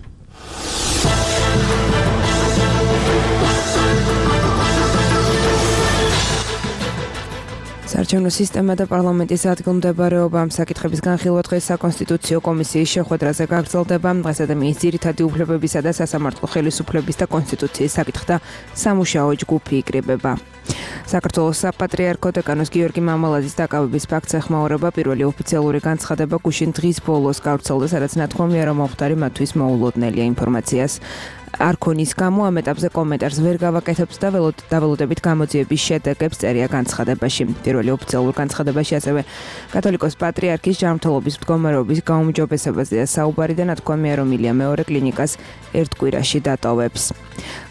Speaker 1: საარჩევნო სისტემა და პარლამენტის ადგილმდებარეობა ამ საკითხების განხილვა დღეს საკონსტიტუციო კომისიის შეხვედრაზე გაგრძელდება. დღესა და მის ძირითადი უფლებებისა და სასამართლო ხელისუფლების და კონსტიტუციის საკითხთა სამუშაო ჯგუფი იკრიბება. საქართველოს საპატრიარქო დეკანოს გიორგი მამალაძის დაკავების ფაქტს ეხმაურება პირველი ოფიციალური განცხადება გუშინ დღის ბოლოს გავრცელდა, სადაც ნათქვამია, რომ მომხდარი მათთვის მოულოდნელია ინფორმაციას. არქონის გამო ამ ეტაპზე კომენტარს ვერ გავაკეთებთ და დაველოდებით გამოძიების შედეგებს წერია განცხადებაში. პირველი ოფიციალურ განცხადებაში ასევე კათოლიკოს პატრიარქის ჯანმრთელობის მდგომარეობის გაუმჯობესებაზეა საუბარი და ნათქვამია, რომ ილია მეორე კლინიკას ერთ კვირაში დატოვებს.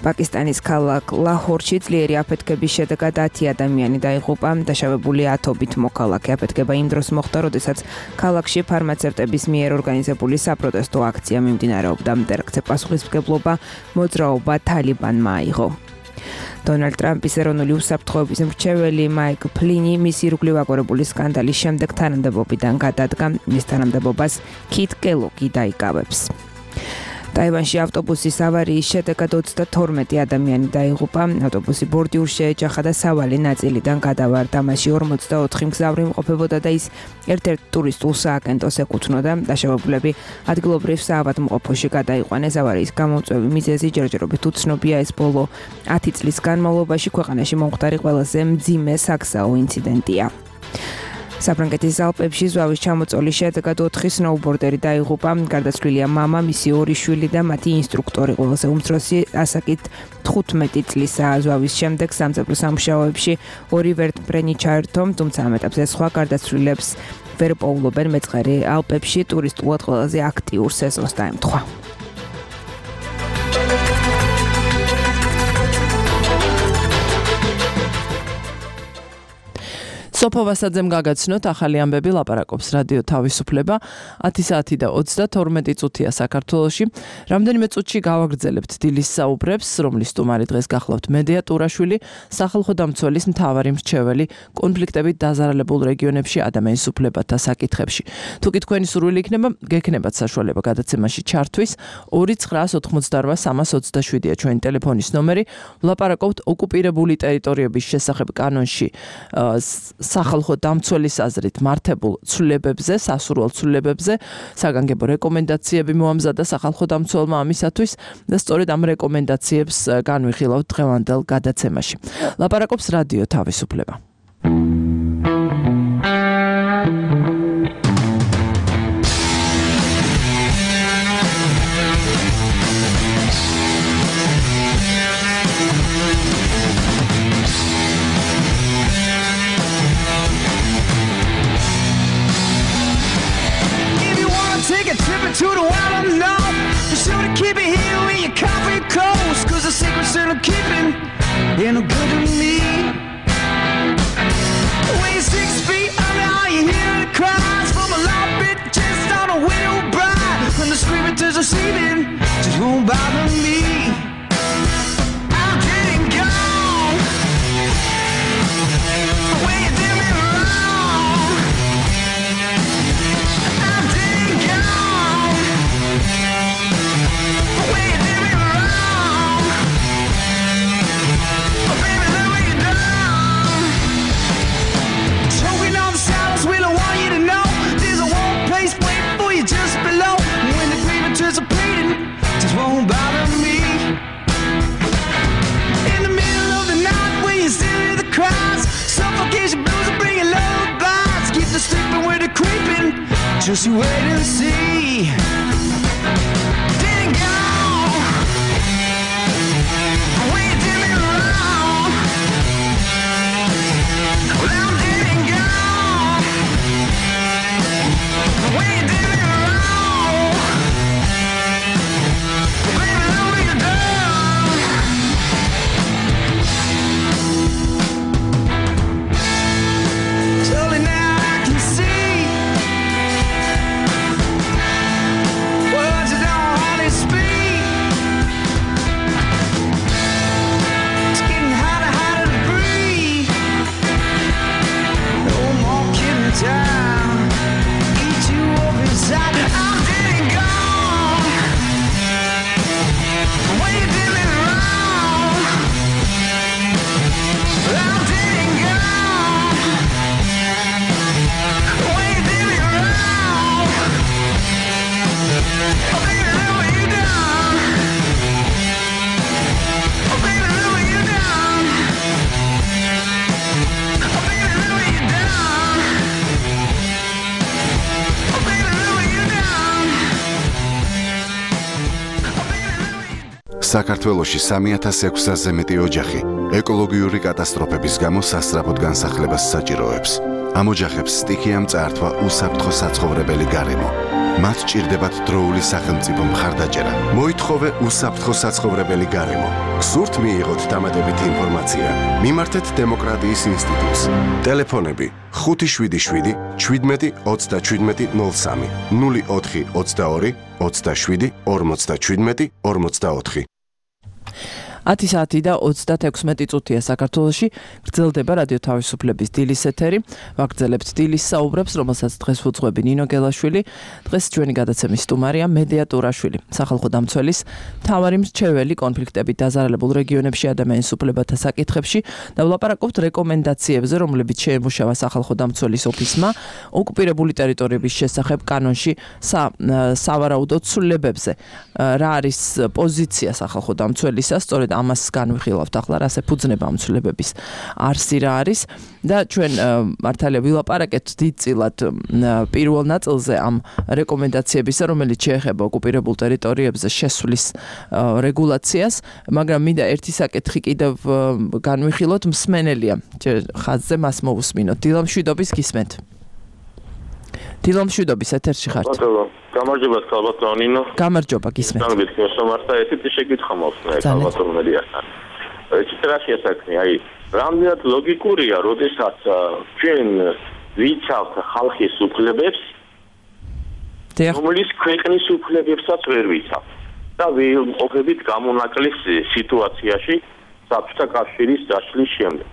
Speaker 1: პაკისტანის ქალაქ ლაჰორში ძლიერი აფეთქების შედეგად ათი ადამიანი დაიღუპა, დაშავებულია ათობით მოქალაქე. აფეთქება იმ დროს მოხდა, როდესაც ქალაქში ფარმაცევტების მიერ ორგანიზებული საპროტესტო აქცია მიმდინარეობდა. ტერაქტზე პასუხისმგებლობა მოძრაობა თალიბანმა აიღო. დონალდ ტრამპის ეროვნული უსაფრთხოების მრჩეველი მაიკ ფლინი მისი ირგვლივ აგორებული სკანდალის შემდეგ თანამდებობიდან გადადგა, მის თანამდებობას კით კელოგი დაიკავებს. ტაივანში ავტობუსის ავარიის შედეგად ოცდათორმეტი ადამიანი დაიღუპა. ავტობუსი ბორდიურს შეეჯახა და სავალი ნაწილიდან გადავარდა. მასში ორმოცდაოთხი მგზავრი იმყოფებოდა და ის ერთ-ერთ ტურისტულ სააგენტოს ეკუთვნოდა. დაშავებულები ადგილობრივ საავადმყოფოში გადაიყვანეს. ავარიის გამომწვევი მიზეზი ჯერჯერობით უცნობია. ეს ბოლო ათი წლის განმავლობაში ქვეყანაში მომხდარი ყველაზე მძიმე საგზაო ინციდენტია. საფრანგეთის ალპებში ზვავის ჩამოწოლის შედეგად ოთხი სნოუბორდერი დაიღუპა. გარდაცვლილია მამა, მისი ორი შვილი და მათი ინსტრუქტორი. ყველაზე უმცროსი ასაკით თხუთმეტი წლისაა. ზვავის შემდეგ სამწებრო სამუშაოებში ორი ვერტმფრენი ჩაერთო, თუმცა ამ ეტაპზე სხვა გარდაცვლილებს ვერ პოულობენ. მეწყერი ალპებში ტურისტულად ყველაზე აქტიურ სეზონს დაემთხვა. სოფო ვასაძემ გაგაცნოთ ახალი ამბები, ლაპარაკობს რადიო თავისუფლება. ათი საათი და ოცდათორმეტი წუთია საქართველოში. რამდენიმე წუთში გავაგრძელებთ დილის საუბრებს, რომლის სტუმარი დღეს გახლავთ მედია ტურაშვილი, სახალხო დამცველის მთავარი მრჩეველი კონფლიქტებით დაზარალებულ რეგიონებში ადამიანის უფლებათა საკითხებში. თუ კი თქვენი სურვილი იქნება, გექნებათ საშუალება გადაცემაში ჩართვის. ორი ცხრაას ოთხმოცდაორვა სამას ოცდაშვიდია ჩვენი ტელეფონის ნომერი. ვლაპარაკობთ ოკუპირებული ტერიტორიების შესახებ კანონში სახალხო დამცველის აზრით მართებულ ცვლილებებზე, სასურველ ცვლილებებზე, საგანგებო რეკომენდაციები მოამზადა სახალხო დამცველმა ამისათვის და სწორედ ამ რეკომენდაციებს განვიხილავთ დღევანდელ გადაცემაში. ლაპარაკობს რადიო თავისუფლება.
Speaker 6: To the wild unknown, be sure to keep it here when your coffee cold, cause the secrets that I'm keeping ain't no good to me. When you're six feet under, all you hear the cries from a loud bit just on a widow bride. When the screaming is receiving, just won't bother me. I'm getting gone when you do me wrong. Just you wait and see. Didn't go when you did me wrong. Well, I didn't go when you did me wrong. Baby, let me down. Slowly now I can see. Words that don't hardly speak. It's getting harder, harder to breathe. No more kidding time. Eat you up inside. I'm dead and gone. When you did me wrong. I'm dead and gone. When you did me wrong. Oh baby, let me you down. Oh baby, let me you down. Oh baby, let me you down. Oh baby, let me you down. Oh baby, let me you
Speaker 7: საქართველოში სამი ათას ექვსასზე მეტი ოჯახი ეკოლოგიური კატასტროფების გამო სასწრაფოდ განსახლებას საჭიროებს. ამ ოჯახებს სტიქიამ წაართვა უსაფრთხო საცხოვრებელი გარემო. მათ ჭირდებათ დროული სახელმწიფო მხარდაჭერა. მოითხოვე უსაფრთხო საცხოვრებელი გარემო. გსურთ მიიღოთ დამატებითი ინფორმაცია? მიმართეთ დემოკრატიის ინსტიტუტს. ტელეფონები ხუთი შვიდი შვიდი შვიდმეტი ოცდაშვიდმეტი ნულ სამი ნული ოთხი ოცდაორი ოცდაშვიდი ორმოცდაშვიდმეტი ორმოცდაოთხი.
Speaker 2: ათი საათი და ოცდათექვსმეტი წუთია საქართველოში. გრძელდება რადიო თავისუფლების დილის ეთერი. ვაგრძელებთ დილის საუბრებს, რომელსაც დღეს უძღვები ნინო გელაშვილი. დღეს ჩვენი გადაცემის სტუმარია მედია ტურაშვილი, სახალხო დამცველის მთავარი მრჩეველი კონფლიქტებით დაზარალებულ რეგიონებში ადამიანის უფლებათა საკითხებში და ვლაპარაკობთ რეკომენდაციებზე, რომლებიც შეემუშავა სახალხო დამცველის ოფისმა ოკუპირებული ტერიტორიების შესახებ კანონში სავარაუდო ცვლილებებზე. რა არის პოზიცია სახალხო დამცველისა? სწორედ ამას განვიხილავთ ახლა, რასე ფუძნება ამ ცვლილებების არსი რა არის და ჩვენ მართალია ვილაპარაკეთ დიდწილად პირველ ნაწილზე ამ რეკომენდაციებისა, რომელიც შეეხება ოკუპირებულ ტერიტორიებზე შესვლის რეგულაციას, მაგრამ მინდა ერთი საკითხი კიდევ განვიხილოთ, მსმენელია ხაზზე, მას მოვუსმინოთ. დილა მშვიდობის გისმენთ. დილა მშვიდობის ეთერში ხართ.
Speaker 8: გამარჯობა ქალბატონო ნინო.
Speaker 2: გამარჯობა გისმენთ.
Speaker 8: გამარჯობა შემართა ესეთი შეკითხვა მაქვს ქალბატონო მედიასთან. ეცეთ რა შეასაქმე, აი რამდენად ლოგიკურია, როდესაც ჩვენ ვიცავთ ხალხის უფლებებს, რომლის ქვეყნის უფლებებსაც ვერ ვიცავთ და ვიმყოფებით გამონაკლის სიტუაციაში საბჭოთა კავშირის დაშლის შემდეგ.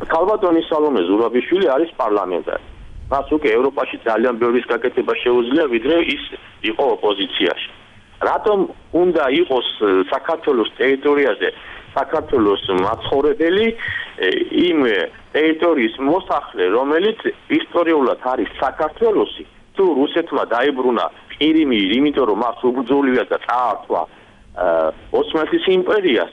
Speaker 8: ქალბატონი სალომე ზურაბიშვილი არის პარლამენტარი. მას უკვე ევროპაში ძალიან ბევრი გაკეთება შეუძლია, ვიდრე ის იყო ოპოზიციაში. რატომ უნდა იყოს საქართველოს ტერიტორიაზე საქართველოს მაცხოვრებელი იმ ტერიტორიის მოსახლე, რომელიც ისტორიულად არის საქართველოსი, თუ რუსეთმა დაებრუნა ყირიმი, იმიტომ რომ მას უბრძოლია და წაართვა ოსმალეთის იმპერიას,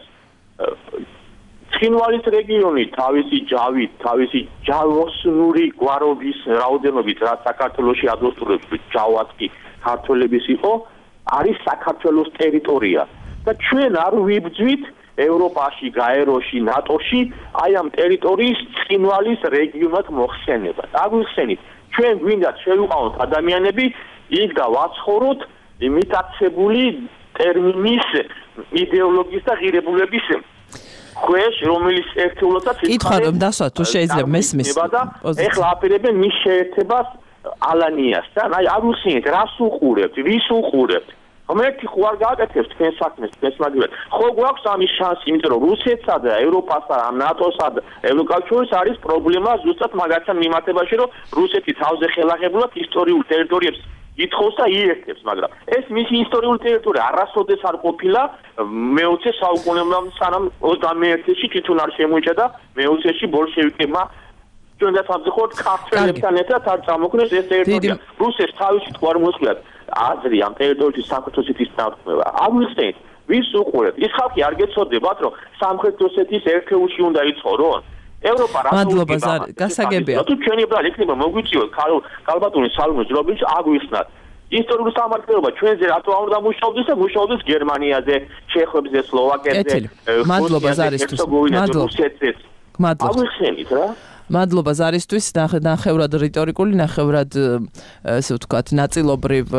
Speaker 8: ცხინვალის რეგიონი თავისი ჯავით, თავისი ჯავოსნური გვარობის რაოდენობით, რაც საქართველოში ადმოსტურებს ჯავათი ქართველების იყო, არის საქართველოს ტერიტორია და ჩვენ არ ვიბძვით ევროპაში, გაეროში, ნატოში აი ამ ტერიტორიის ცხინვალის რეგიონად მოხსენება. აგვიხსენით, ჩვენ გვინდათ შევიყვანოთ ადამიანები იქ და ვაცხოვროთ იმიტაცებული ტერმინის იდეოლოგიის და ღირებულების ქვეშ, რომელიც ერთეულოდაც
Speaker 2: კითხვა რომ დასვათ თუ შეიძლება მესმის
Speaker 8: ეხლა აპირებენ მის შეერთებას ალანიასთან. აი არ უსინეთ, რას უყურებთ, ვის უყურებთ. ხომერთი ხო არ გააკეთებს თქვენ საქმეს, თქვენს მაგივრად. ხო გვაქვს ამის შანსი, იმიტომ რომ რუსეთსა და ევროპასა, ნატოსა და ევროკავშირს არის პრობლემა ზუსტად მაგათთან მიმართებაში, რომ რუსეთი თავზე ხელახებულად ისტორიულ ტერიტორიებს ითხოვს და იერთებს, მაგრამ ეს მისი ისტორიული ტერიტორია არასოდეს არ ყოფილა მეოცე საუკუნეებამდე, სანამ ოცდამეერთეში თვითონ არ შემოიჭა და მეოცეში ბოლშევიკებმა ჩვენ და სამწუხაროდ ქართველებთან ერთად არ წამოქმნეს ეს ტერიტორია. რუსეთს თავისი თქვა არ მოსვლად აზრი ამ ტერიტორიის საქართველოს ითის დათქმევა. აგვიხსენით, ვის უყურებთ? ის ხალხი არ გეცოდებათ, რომ სამხრეთ ოსეთის ერთეულში უნდა იცხოვრონ? ევროპა რა
Speaker 2: მადლობა გასაგებია
Speaker 8: თუ ჩვენი ბრალი იქნება მოგვიწიოთ ქალბატონის სალონის ჯრობინში აგვიხსნათ ისტორიული სამართლობა ჩვენზე რატო არ უნდა მუშაობდეს და მუშაობდეს გერმანიაზე, ჩეხებზე, სლოვაკეთზე,
Speaker 2: მადლობა ზარისთვის
Speaker 8: მადლობა აგვიხსენით რა
Speaker 2: მადლობა ზარისთვის ნახევრად რიტორიკული ნახევრად ესე ვთქვათ ნაწილობრივ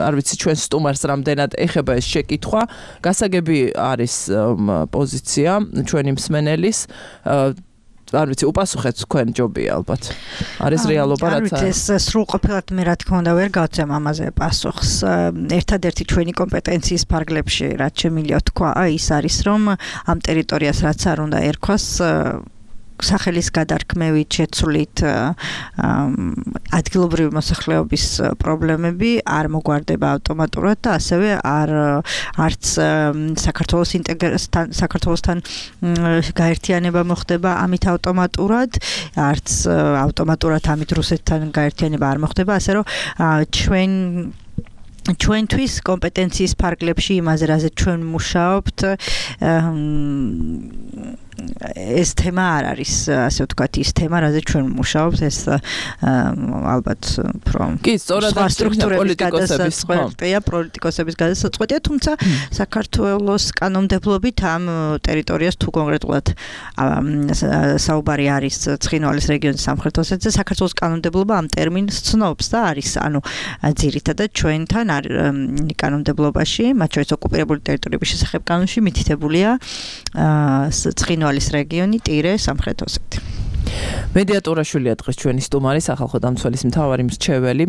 Speaker 2: არ ვიცი ჩვენ სტუმარს რამდენად ეხება ეს შეკითხვა გასაგები არის პოზიცია ჩვენი მსმენელის არ ვიცი უპასუხეთ თქვენ ჯობია ალბათ არის რეალობა რაც
Speaker 5: არის ეს სრულყოფილად მე რა თქმა უნდა ვერ გავცემ ამაზე პასუხს ერთადერთი ჩვენი კომპეტენციის ფარგლებში რაც შემიძლია თქვა ის არის რომ ამ ტერიტორიას რაც არ უნდა ერქვას სახელის გადარქმევით შეცვლით ადგილობრივი მოსახლეობის პრობლემები არ მოგვარდება ავტომატურად და ასევე არ არც საქართველოს ინტეგრაციასთან საქართველოსთან გაერთიანება მოხდება ამით ავტომატურად არც ავტომატურად ამით რუსეთთან გაერთიანება არ მოხდება ასე რომ ჩვენ ჩვენთვის კომპეტენციის ფარგლებში იმაზე რაზე ჩვენ მუშაობთ ეს თემა არ არის ასე ვთქვათ ის თემა რაზე ჩვენ მუშაობთ ეს ალბათ უფრო
Speaker 2: კი სწორად პოლიტიკოსების
Speaker 5: ხო პოლიტიკოსების გადასაწყვეტია თუმცა საქართველოს კანონმდებლობით ამ ტერიტორიას თუ კონკრეტულად საუბარი არის ცხინვალის რეგიონის სამხრეთ ოსეთზე საქართველოს კანონმდებლობა ამ ტერმინს ცნობს და არის ანუ ძირითადად ჩვენთან კანონმდებლობაში მათ შორის ოკუპირებული ტერიტორიების შესახებ კანონში მითითებულია ცხინვალის რეგიონი ტირე სამხრეთ ოსეთი
Speaker 2: მედიატორაშვილია დღეს ჩვენი სტუმარი სახალხო დამცველის მთავარი მრჩეველი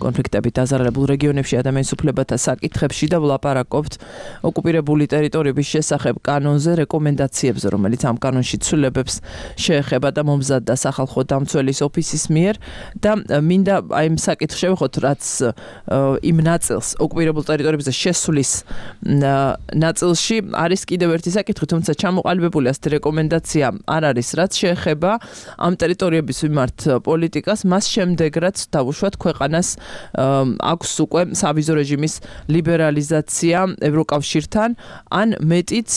Speaker 2: კონფლიქტებით დაზარალებულ რეგიონებში ადამიანის უფლებათა საკითხებში და ვლაპარაკობთ ოკუპირებული ტერიტორიების შესახებ კანონზე რეკომენდაციებზე რომელიც ამ კანონში ცვლილებებს შეეხება და მომზადდა სახალხო დამცველის ოფისის მიერ და მინდა აი ამ საკითხს შევეხოთ რაც იმ ნაწილს ოკუპირებულ ტერიტორიებზე შესვლის ნაწილში არის კიდევ ერთი საკითხი თუმცა ჩამოყალიბებული ასეთი რეკომენდაცია არ არის რაც შეეხება ამ ტერიტორიების მიმართ პოლიტიკას მას შემდეგ რაც დავუშვათ ქვეყანას აქვს უკვე სავიზო რეჟიმის ლიბერალიზაცია ევროკავშირთან ან მეტიც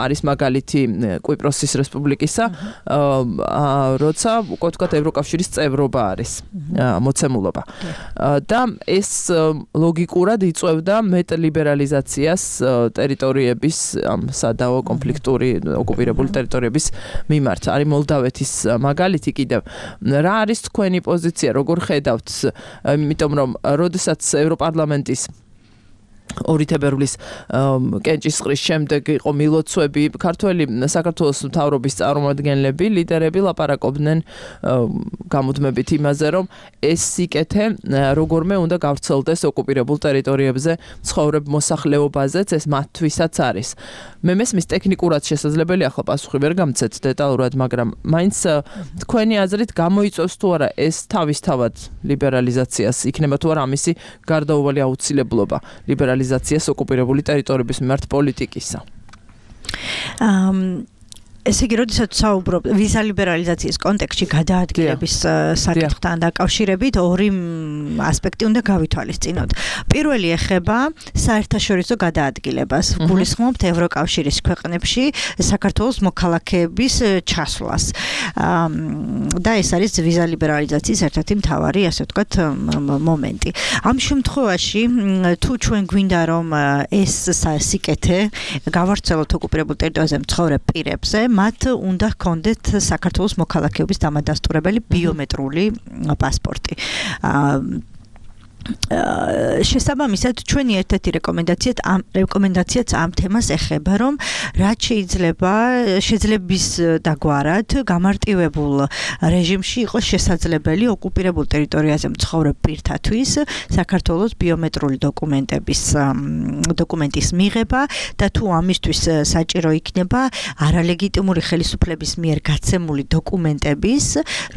Speaker 2: არის მაგალითი კვიპროსის რესპუბლიკისა როცა უკვე თქვათ ევროკავშირის წევრობა არის მოცემულობა და ეს ლოგიკურად იწევდა მეტ ლიბერალიზაციას ტერიტორიების ამ სადავო კონფლიქტური ოკუპირებული ტერიტორიების მიმართ არის მოლდავეთის მაგალითი კიდევ რა არის თქვენი პოზიცია როგორ ხედავთ იმიტომ რომ როდესაც ევროპარლამენტის ორი თებერვლის კენჭისყრის შემდეგ იყო მილოცვები ქართველი საქართველოს მთავრობის წარმომადგენლები ლიდერები ლაპარაკობდნენ გამუდმებით იმაზე რომ ეს სიკეთე როგორმე უნდა გავრცელდეს ოკუპირებულ ტერიტორიებზე ცხოვრებ მოსახლეობაზეც ეს მათთვისაც არის მე მესმის ტექნიკურად შესაძლებელი ახლა პასუხი ვერ გამცეთ დეტალურად მაგრამ მაინც თქვენი აზრით გამოიწვევს თუ არა ეს თავისთავად ლიბერალიზაციას იქნება თუ არა ამისი გარდაუვალი აუცილებლობა ლიბერალიზაციას ოკუპირებული ტერიტორიების მიმართ პოლიტიკისა. ესე იგი, როდესაც საუბრობ ვიზა ლიბერალიზაციის კონტექსტში გადაადგილების საკითხთან დაკავშირებით ორი ასპექტი უნდა გავითვალისწინოთ. პირველი ეხება საერთაშორისო გადაადგილებას. გულისხმობთ ევროკავშირის ქვეყნებში საქართველოს მოქალაქეების ჩასვლას. და ეს არის ვიზა ლიბერალიზაციის ერთ-ერთი მთავარი, ასე ვთქვათ, მომენტი. ამ შემთხვევაში თუ ჩვენ გვინდა რომ ეს სიკეთე გავარცელოთ ოკუპირებულ ტერიტორიაზე მცხოვრებ პირებზე მათ უნდა ჰქონდეთ საქართველოს მოქალაქეობის დამადასტურებელი ბიომეტრიული პასპორტი. შესაბამისად ჩვენი ერთ-ერთი რეკომენდაციაც ამ რეკომენდაციაც ამ თემას ეხება რომ რაც შეიძლება შეძლების დაგვარად გამარტივებულ რეჟიმში იყოს შესაძლებელი ოკუპირებულ ტერიტორიაზე მცხოვრებ პირთათვის საქართველოს ბიომეტრიული დოკუმენტების დოკუმენტის მიღება და თუ ამისთვის საჭირო იქნება არალეგიტიმური ხელისუფლების მიერ გაცემული დოკუმენტების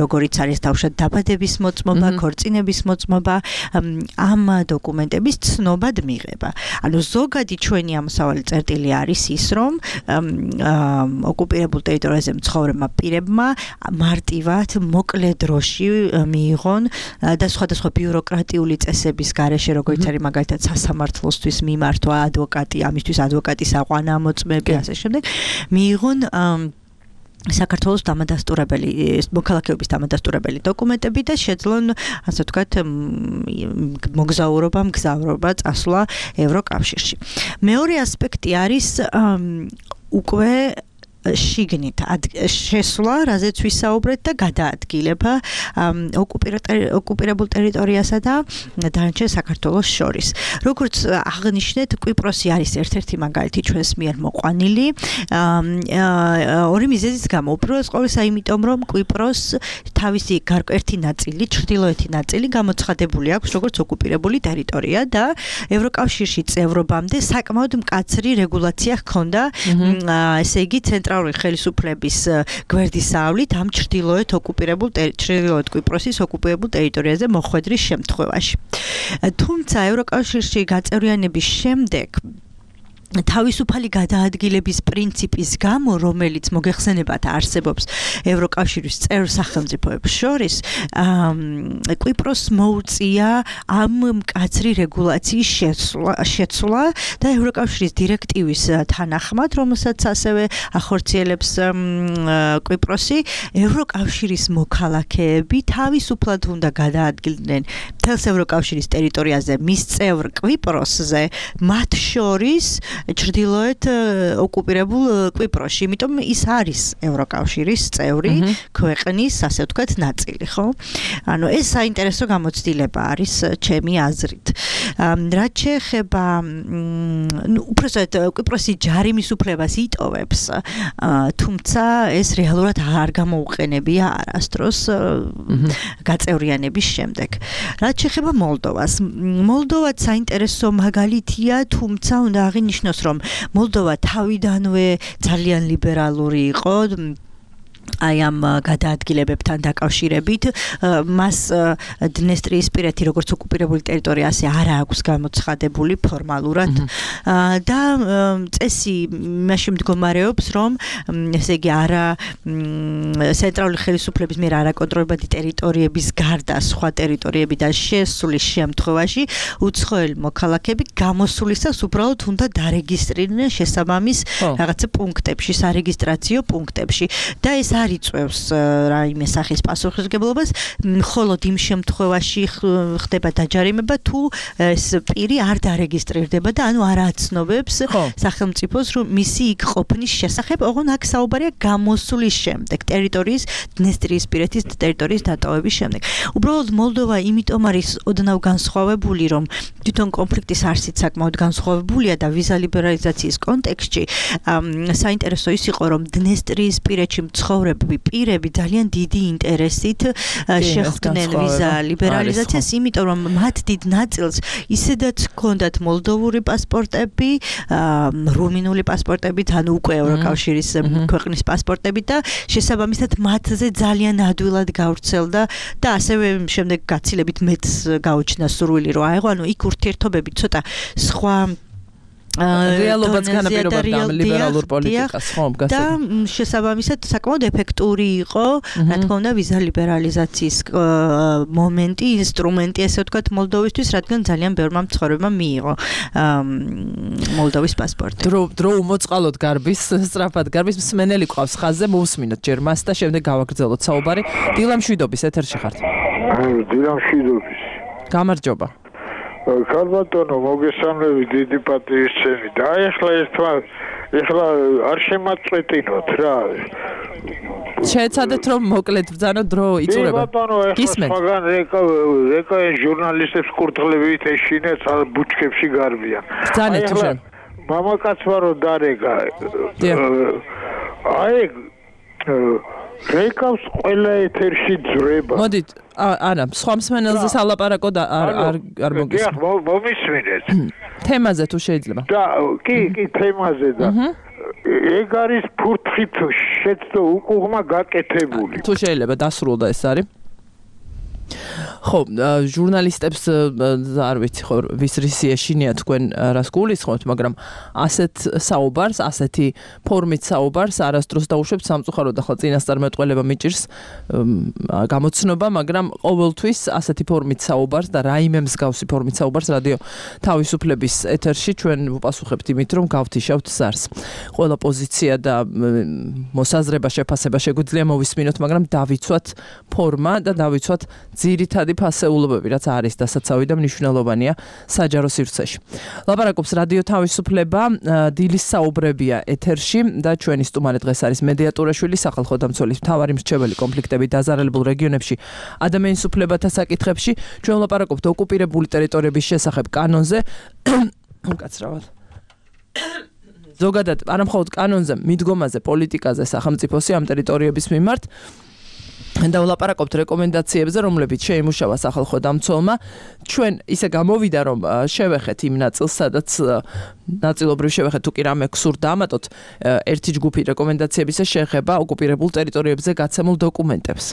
Speaker 2: როგორიც არის თავშად დაბადების მოწმობა, ქორწინების მოწმობა ამ დოკუმენტების ცნობად მიღება. ანუ ზოგადი ჩვენი ამოსავალი წერტილი არის ის, რომ ოკუპირებულ ტერიტორიაზე მცხოვრებმა პირებმა მარტივად მოკლე დროში მიიღონ და სხვადასხვა ბიუროკრატიული წესების გარეშე, როგორც არის მაგალითად სასამართლოსთვის მიმართვა ადვოკატი, ამისთვის ადვოკატის აყვანა, მოწმები, ასე შემდეგ, მიიღონ
Speaker 5: საქართველოს დამადასტურებელი მოქალაქეობის დამადასტურებელი დოკუმენტები და შეძლონ ასე ვთქვათ მოგზაურობა, მგზავრობა წასვლა ევროკავშირში. მეორე ასპექტი არის უკვე შიგნით შესვლა, რაზეც ვისაუბრეთ და გადაადგილება ოკუპირებულ ტერიტორიასა და დანარჩენ საქართველოს შორის. როგორც აღნიშნეთ, კვიპროსი არის ერთ-ერთი მაგალითი ჩვენს მიერ მოყვანილი ორი მიზეზის გამო. უპირველეს ყოვლისა, იმიტომ რომ კვიპროს თავისი ერთი ნაწილი, ჩრდილოეთი ნაწილი გამოცხადებული აქვს როგორც ოკუპირებული ტერიტორია და ევროკავშირში წევრობამდე საკმაოდ მკაცრი რეგულაცია ჰქონდა, ესე იგი ცენტრალური ხელისუფლების გვერდისავლით ამ ჩრდილოეთ ოკუპირებულ ჩრდილოეთ კვიპროსის ოკუპირებულ ტერიტორიაზე მოხვედრის შემთხვევაში. თუმცა ევროკავშირში გაწევრიანების შემდეგ თავისუფალი გადაადგილების პრინციპის გამო, რომელიც მოგეხსენებათ არსებობს ევროკავშირის წევრ სახელმწიფოებს შორის, კვიპროსს მოუწია ამ მკაცრი რეგულაციის შეცვლა და ევროკავშირის დირექტივის თანახმად, რომელსაც ასევე ახორციელებს კვიპროსი, ევროკავშირის მოქალაქეები თავისუფლად უნდა გადაადგილდნენ მთელს ევროკავშირის ტერიტორიაზე მის წევრ კვიპროსზე, მათ შორის ჩრდილოეთ ოკუპირებულ კვიპროსში, იმიტომ ის არის ევროკავშირის წევრი ქვეყნის, ასე ვთქვათ, ნაწილი, ხო? ანუ ეს საინტერესო გამოცდილება არის ჩემი აზრით. რაც შეეხება, ნუ უბრალოდ კვიპროსი ჯარიმის უფლებას იტოვებს, თუმცა ეს რეალურად არ გამოუყენებია არასდროს გაწევრიანების შემდეგ. რაც შეეხება მოლდოვას, მოლდოვა საინტერესო მაგალითია, თუმცა უნდა აღინიშნოს რომ მოლდოვა თავიდანვე ძალიან ლიბერალური იყო აი ამ გადაადგილებებთან დაკავშირებით, მას დნესტრიისპირეთი როგორც ოკუპირებული ტერიტორია ასე არ აქვს გამოცხადებული ფორმალურად და წესი იმაში მდგომარეობს, რომ ესე იგი არა ცენტრალური ხელისუფლების მიერ არაკონტროლებადი ტერიტორიების გარდა სხვა ტერიტორიებიდან შესვლის შემთხვევაში უცხოელი მოქალაქეები გამოსვლისას უბრალოდ უნდა დარეგისტრირდნენ შესაბამის რაღაცა პუნქტებში, სარეგისტრაციო პუნქტებში და ეს არ იწევს რაიმე სახის პასუხისმგებლობას, მხოლოდ იმ შემთხვევაში ხდება დაჯარიმება, თუ ეს პირი არ დარეგისტრირდება და ანუ არ აცნობებს სახელმწიფოს, რომ მისი იქ ყოფნის შესახებ, ოღონდ აქ საუბარია გამოსვლის შემდეგ, ტერიტორიის დნესტრიისპირეთის ტერიტორიის დატოვების შემდეგ. უბრალოდ მოლდოვა იმიტომ არის ოდნავ განსხვავებული, რომ თვითონ კონფლიქტის არსით საკმაოდ განსხვავებულია და ვიზა ლიბერალიზაციის კონტექსტში საინტერესო ის იყო, რომ დნესტრიისპირეთში მცხოვრები პირები ძალიან დიდი ინტერესით შეხვდნენ ვიზა ლიბერალიზაციას, იმიტომ რომ მათ დიდ ნაწილს ისედაც ჰქონდათ მოლდოვური პასპორტები, რუმინული პასპორტებით, ანუ უკვე ევროკავშირის ქვეყნის პასპორტებით და შესაბამისად მათზე ძალიან ადვილად გავრცელდა და ასევე შემდეგ გაცილებით მეც გაუჩნდა სურვილი რომ აეღო, ანუ იქ ურთიერთობები ცოტა სხვა რეალობაც განაპირობებდა ამ ლიბერალურ პოლიტიკას, ხო, გასაგებია. და შესაბამისად საკმაოდ ეფექტური იყო, რა თქმა უნდა, ვიზა ლიბერალიზაციის მომენტი, ინსტრუმენტი, ესე ვთქვათ, მოლდოვისთვის, რადგან ძალიან ბევრმა მცხოვრებმა მიიღო მოლდოვის პასპორტი. დრო დრო უმოწყალოდ გარბის, სწრაფად გარბის, მსმენელი ყავს ხაზზე, მოусმინოთ ჯერ მას და შემდეგ გავაგრძელოთ საუბარი. დილა მშვიდობის ეთერში ხართ.
Speaker 9: დილა მშვიდობის.
Speaker 2: გამარჯობა.
Speaker 9: ქალბატონო, მოგესალმებით, დიდი პატივისცემი. და ეხლა ერთმა ეხლა არ შემაწყვეტინოთ რა.
Speaker 2: შეეცადეთ რომ მოკლედ ბრძანოთ დრო იწურება.
Speaker 9: გისმენთ? მაგრამ ეკა ეკა ჟურნალისტებს კურთხლებით ეშინეთ ბუჩქებში გარბიან.
Speaker 2: ბრძანეთ თუ შენ.
Speaker 9: მამაკაცმა რო დარეკა. აი რეკავს ყველა ეთერში ძრება.
Speaker 2: მოდით, არა, სხვა მსმენელზე სალაპარაკო და არ არ არ მოგისმენთ.
Speaker 9: დიახ, მომისმინეთ.
Speaker 2: თემაზე თუ შეიძლება.
Speaker 9: და კი, კი, თემაზე და ეგ არის ფურთხით შეცდო უკუღმა გაკეთებული.
Speaker 2: თუ შეიძლება დასრულდა ეს არის. ხო, ჟურნალისტებს არ ვიცი ხო ვის რისი ეშინია თქვენ რას გულისხმობთ, მაგრამ ასეთ საუბარს, ასეთი ფორმით საუბარს არასდროს დაუშვებთ სამწუხაროდ, ახლა წინასწარმეტყველება მიჭირს გამოცნობა, მაგრამ ყოველთვის ასეთი ფორმით საუბარს და რაიმე მსგავსი ფორმით საუბარს რადიო თავისუფლების ეთერში ჩვენ ვუპასუხებთ იმით, რომ გავთიშავთ ზარს. ყველა პოზიცია და მოსაზრება, შეფასება შეგვიძლია მოვისმინოთ, მაგრამ დავიცვათ ფორმა და დავიცვათ ძირითადი ფასეულობები, რაც არის დასაცავი და მნიშვნელოვანია საჯარო სივრცეში. ლაპარაკობს რადიო თავისუფლება, დილის საუბრებია ეთერში და ჩვენი სტუმარი დღეს არის მედიატურაშვილი, სახალხო დამცველის მთავარი მრჩეველი კონფლიქტები დაზარალებულ რეგიონებში ადამიანის უფლებათა საკითხებში. ჩვენ ლაპარაკობთ ოკუპირებული ტერიტორიების შესახებ კანონზე. უკაცრავად. ზოგადად, არა მხოლოდ კანონზე, მიდგომაზე, პოლიტიკაზე, სახელმწიფოსი ამ ტერიტორიების მიმართ და ვლაპარაკობთ რეკომენდაციებზე, რომლებიც შეიმუშავა სახალხო დამცველმა. ჩვენ ისე გამოვიდა, რომ შევეხეთ იმ ნაწილს, სადაც ნაწილობრივ შევეხეთ, თუ კი რამე გსურდა ამატოთ, ერთი ჯგუფი რეკომენდაციების შეეხება ოკუპირებულ ტერიტორიებზე გაცემულ დოკუმენტებს.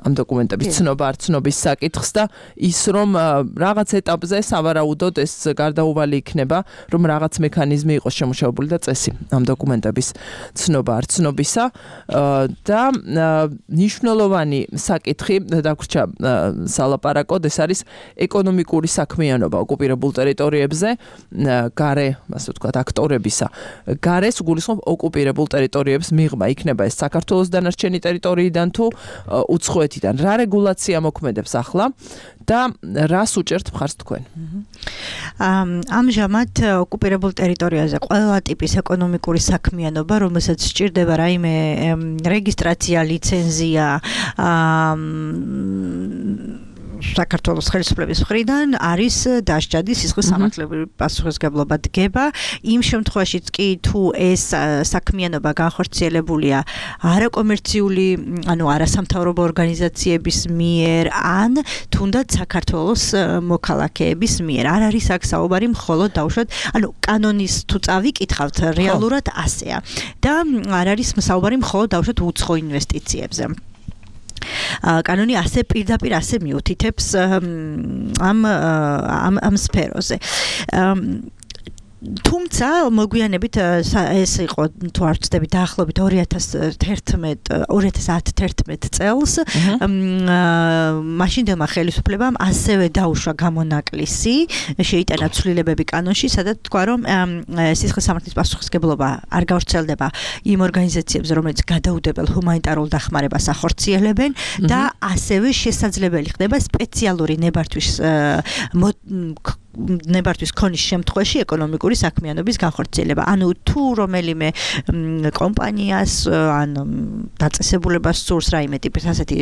Speaker 2: ამ დოკუმენტების ცნობა, არ ცნობის საკითხს და ის, რომ რაღაც ეტაპზე სავარაუდოდ ეს გარდაუვალი იქნება, რომ რაღაც მექანიზმი იყოს შემუშავებული და წესი ამ დოკუმენტების ცნობა, არ ცნობისა და მნიშვნელოვანი საკითხი დაგვრჩა სალაპარაკოდ, ეს არის ეკონომიკური საქმიანობა ოკუპირებულ ტერიტორიებზე, გარე, ასე ვთქვათ, აქტორებისა. გარეს გულისხმობ ოკუპირებულ ტერიტორიებს მიღმა, იქნება ეს საქართველოს დანარჩენი ტერიტორიიდან თუ უცხოეთიდან. რა რეგულაცია მოქმედებს ახლა და რას უჭერთ მხარს თქვენ?
Speaker 5: ამჟამად ოკუპირებულ ტერიტორიაზე ყველა ტიპის ეკონომიკური საქმიანობა, რომელსაც სჭირდება რაიმე რეგისტრაცია, ლიცენზია, საქართველოს ხელისუფლების მხრიდან არის დასჯადი სისხლის სამართლებრივი პასუხისმგებლობა დგება. იმ შემთხვევაშიც კი თუ ეს საქმიანობა განხორციელებულია არაკომერციული, ანუ არასამთავრობო ორგანიზაციების მიერ ან თუნდაც საქართველოს მოქალაქეების მიერ. არ არის აქ საუბარი მხოლოდ დაუშვათ, ანუ კანონის თუ წავიკითხავთ, რეალურად ასეა. და არ არის საუბარი მხოლოდ დაუშვათ უცხო ინვესტიციებზე. კანონი ასე პირდაპირ ასე მიუთითებს ამ ამ ამ სფეროზე. თუმცა მოგვიანებით ეს იყო თუ არ ვცდები დაახლოებით ორი ათას ათერთმეტ წელს მაშინდელმა ხელისუფლებამ ასევე დაუშვა გამონაკლისი, შეიტანა ცვლილებები კანონში, სადაც თქვა, რომ სისხლის სამართლის პასუხისმგებლობა არ გავრცელდება იმ ორგანიზაციებზე, რომელიც გადაუდებელ ჰუმანიტარულ დახმარებას ახორციელებენ და ასევე შესაძლებელი ხდება სპეციალური ნებართვის ნებართვის ქონის შემთხვევაში ეკონომიკური საქმიანობის განხორციელება. ანუ თუ რომელიმე კომპანიას ან დაწესებულებას სურს რაიმე ტიპის ასეთი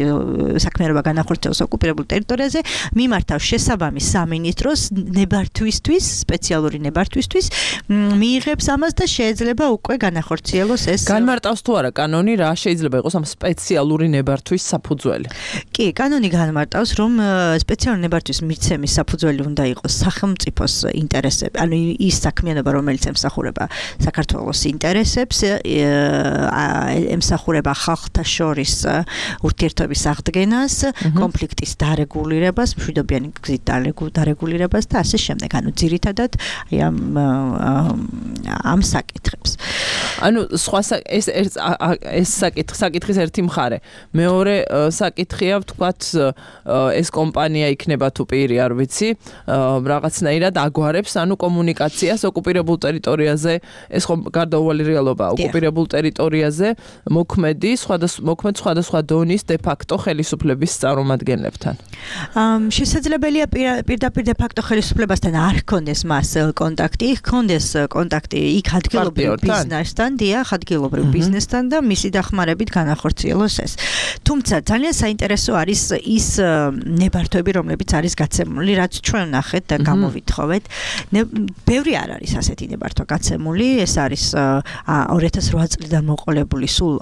Speaker 5: საქმიანობა განახორციელოს ოკუპირებულ ტერიტორიაზე, მიმართავს შესაბამის სამინისტროს ნებართვისთვის, სპეციალური ნებართვისთვის, მიიღებს ამას და შეიძლება უკვე განახორციელოს ეს.
Speaker 2: განმარტავს თუ არა კანონი, რა შეიძლება იყოს ამ სპეციალური ნებართვის საფუძველი?
Speaker 5: კი, კანონი განმარტავს, რომ სპეციალური ნებართვის მიცემის საფუძველი უნდა იყოს სახელმწიფოს ინტერესები, ანუ ის საქმიანობა, რომელიც ემსახურება საქართველოს ინტერესებს, ემსახურება ხალხთა შორის ურთიერთობის აღდგენას, კონფლიქტის დარეგულირებას, მშვიდობიანი გზით დარეგულირებას და ასე შემდეგ. ანუ ძირითადად აი ამ ამ საკითხებს.
Speaker 2: ანუ სხვა ეს ეს საკითხი, საკითხის ერთი მხარე. მეორე საკითხია, ვთქვათ, ეს კომპანია იქნება თუ პირი, არ ვიცი, რაღაცნაირად აგვარებს, ანუ კომუნიკაციას ოკუპირებულ ტერიტორიაზე, ეს ხომ გარდაუვალი რეალობაა, ოკუპირებულ ტერიტორიაზე მოქმედი, სხვადასხვა მოქმედ სხვადასხვა დონის de facto ხელისუფლების წარმომადგენლებთან.
Speaker 5: შესაძლებელია პირდაპირ de facto ხელისუფლებასთან არ ჰქონდეს მას კონტაქტი, ჰქონდეს კონტაქტი იქ ადგილობრივ ბიზნესთან, დიახ, ადგილობრივ ბიზნესთან და მისი დახმარებით განახორციელოს ეს. თუმცა ძალიან საინტერესო არის ის ნებართვები, რომლებიც არის გაცემული, რაც ჩვენ ნახეთ და გამოვითხოვეთ. ბევრი არ არის ასეთი ნებართვა გაცემული, ეს არის ორი ათას ოთხ წლიდან მოყოლებული სულ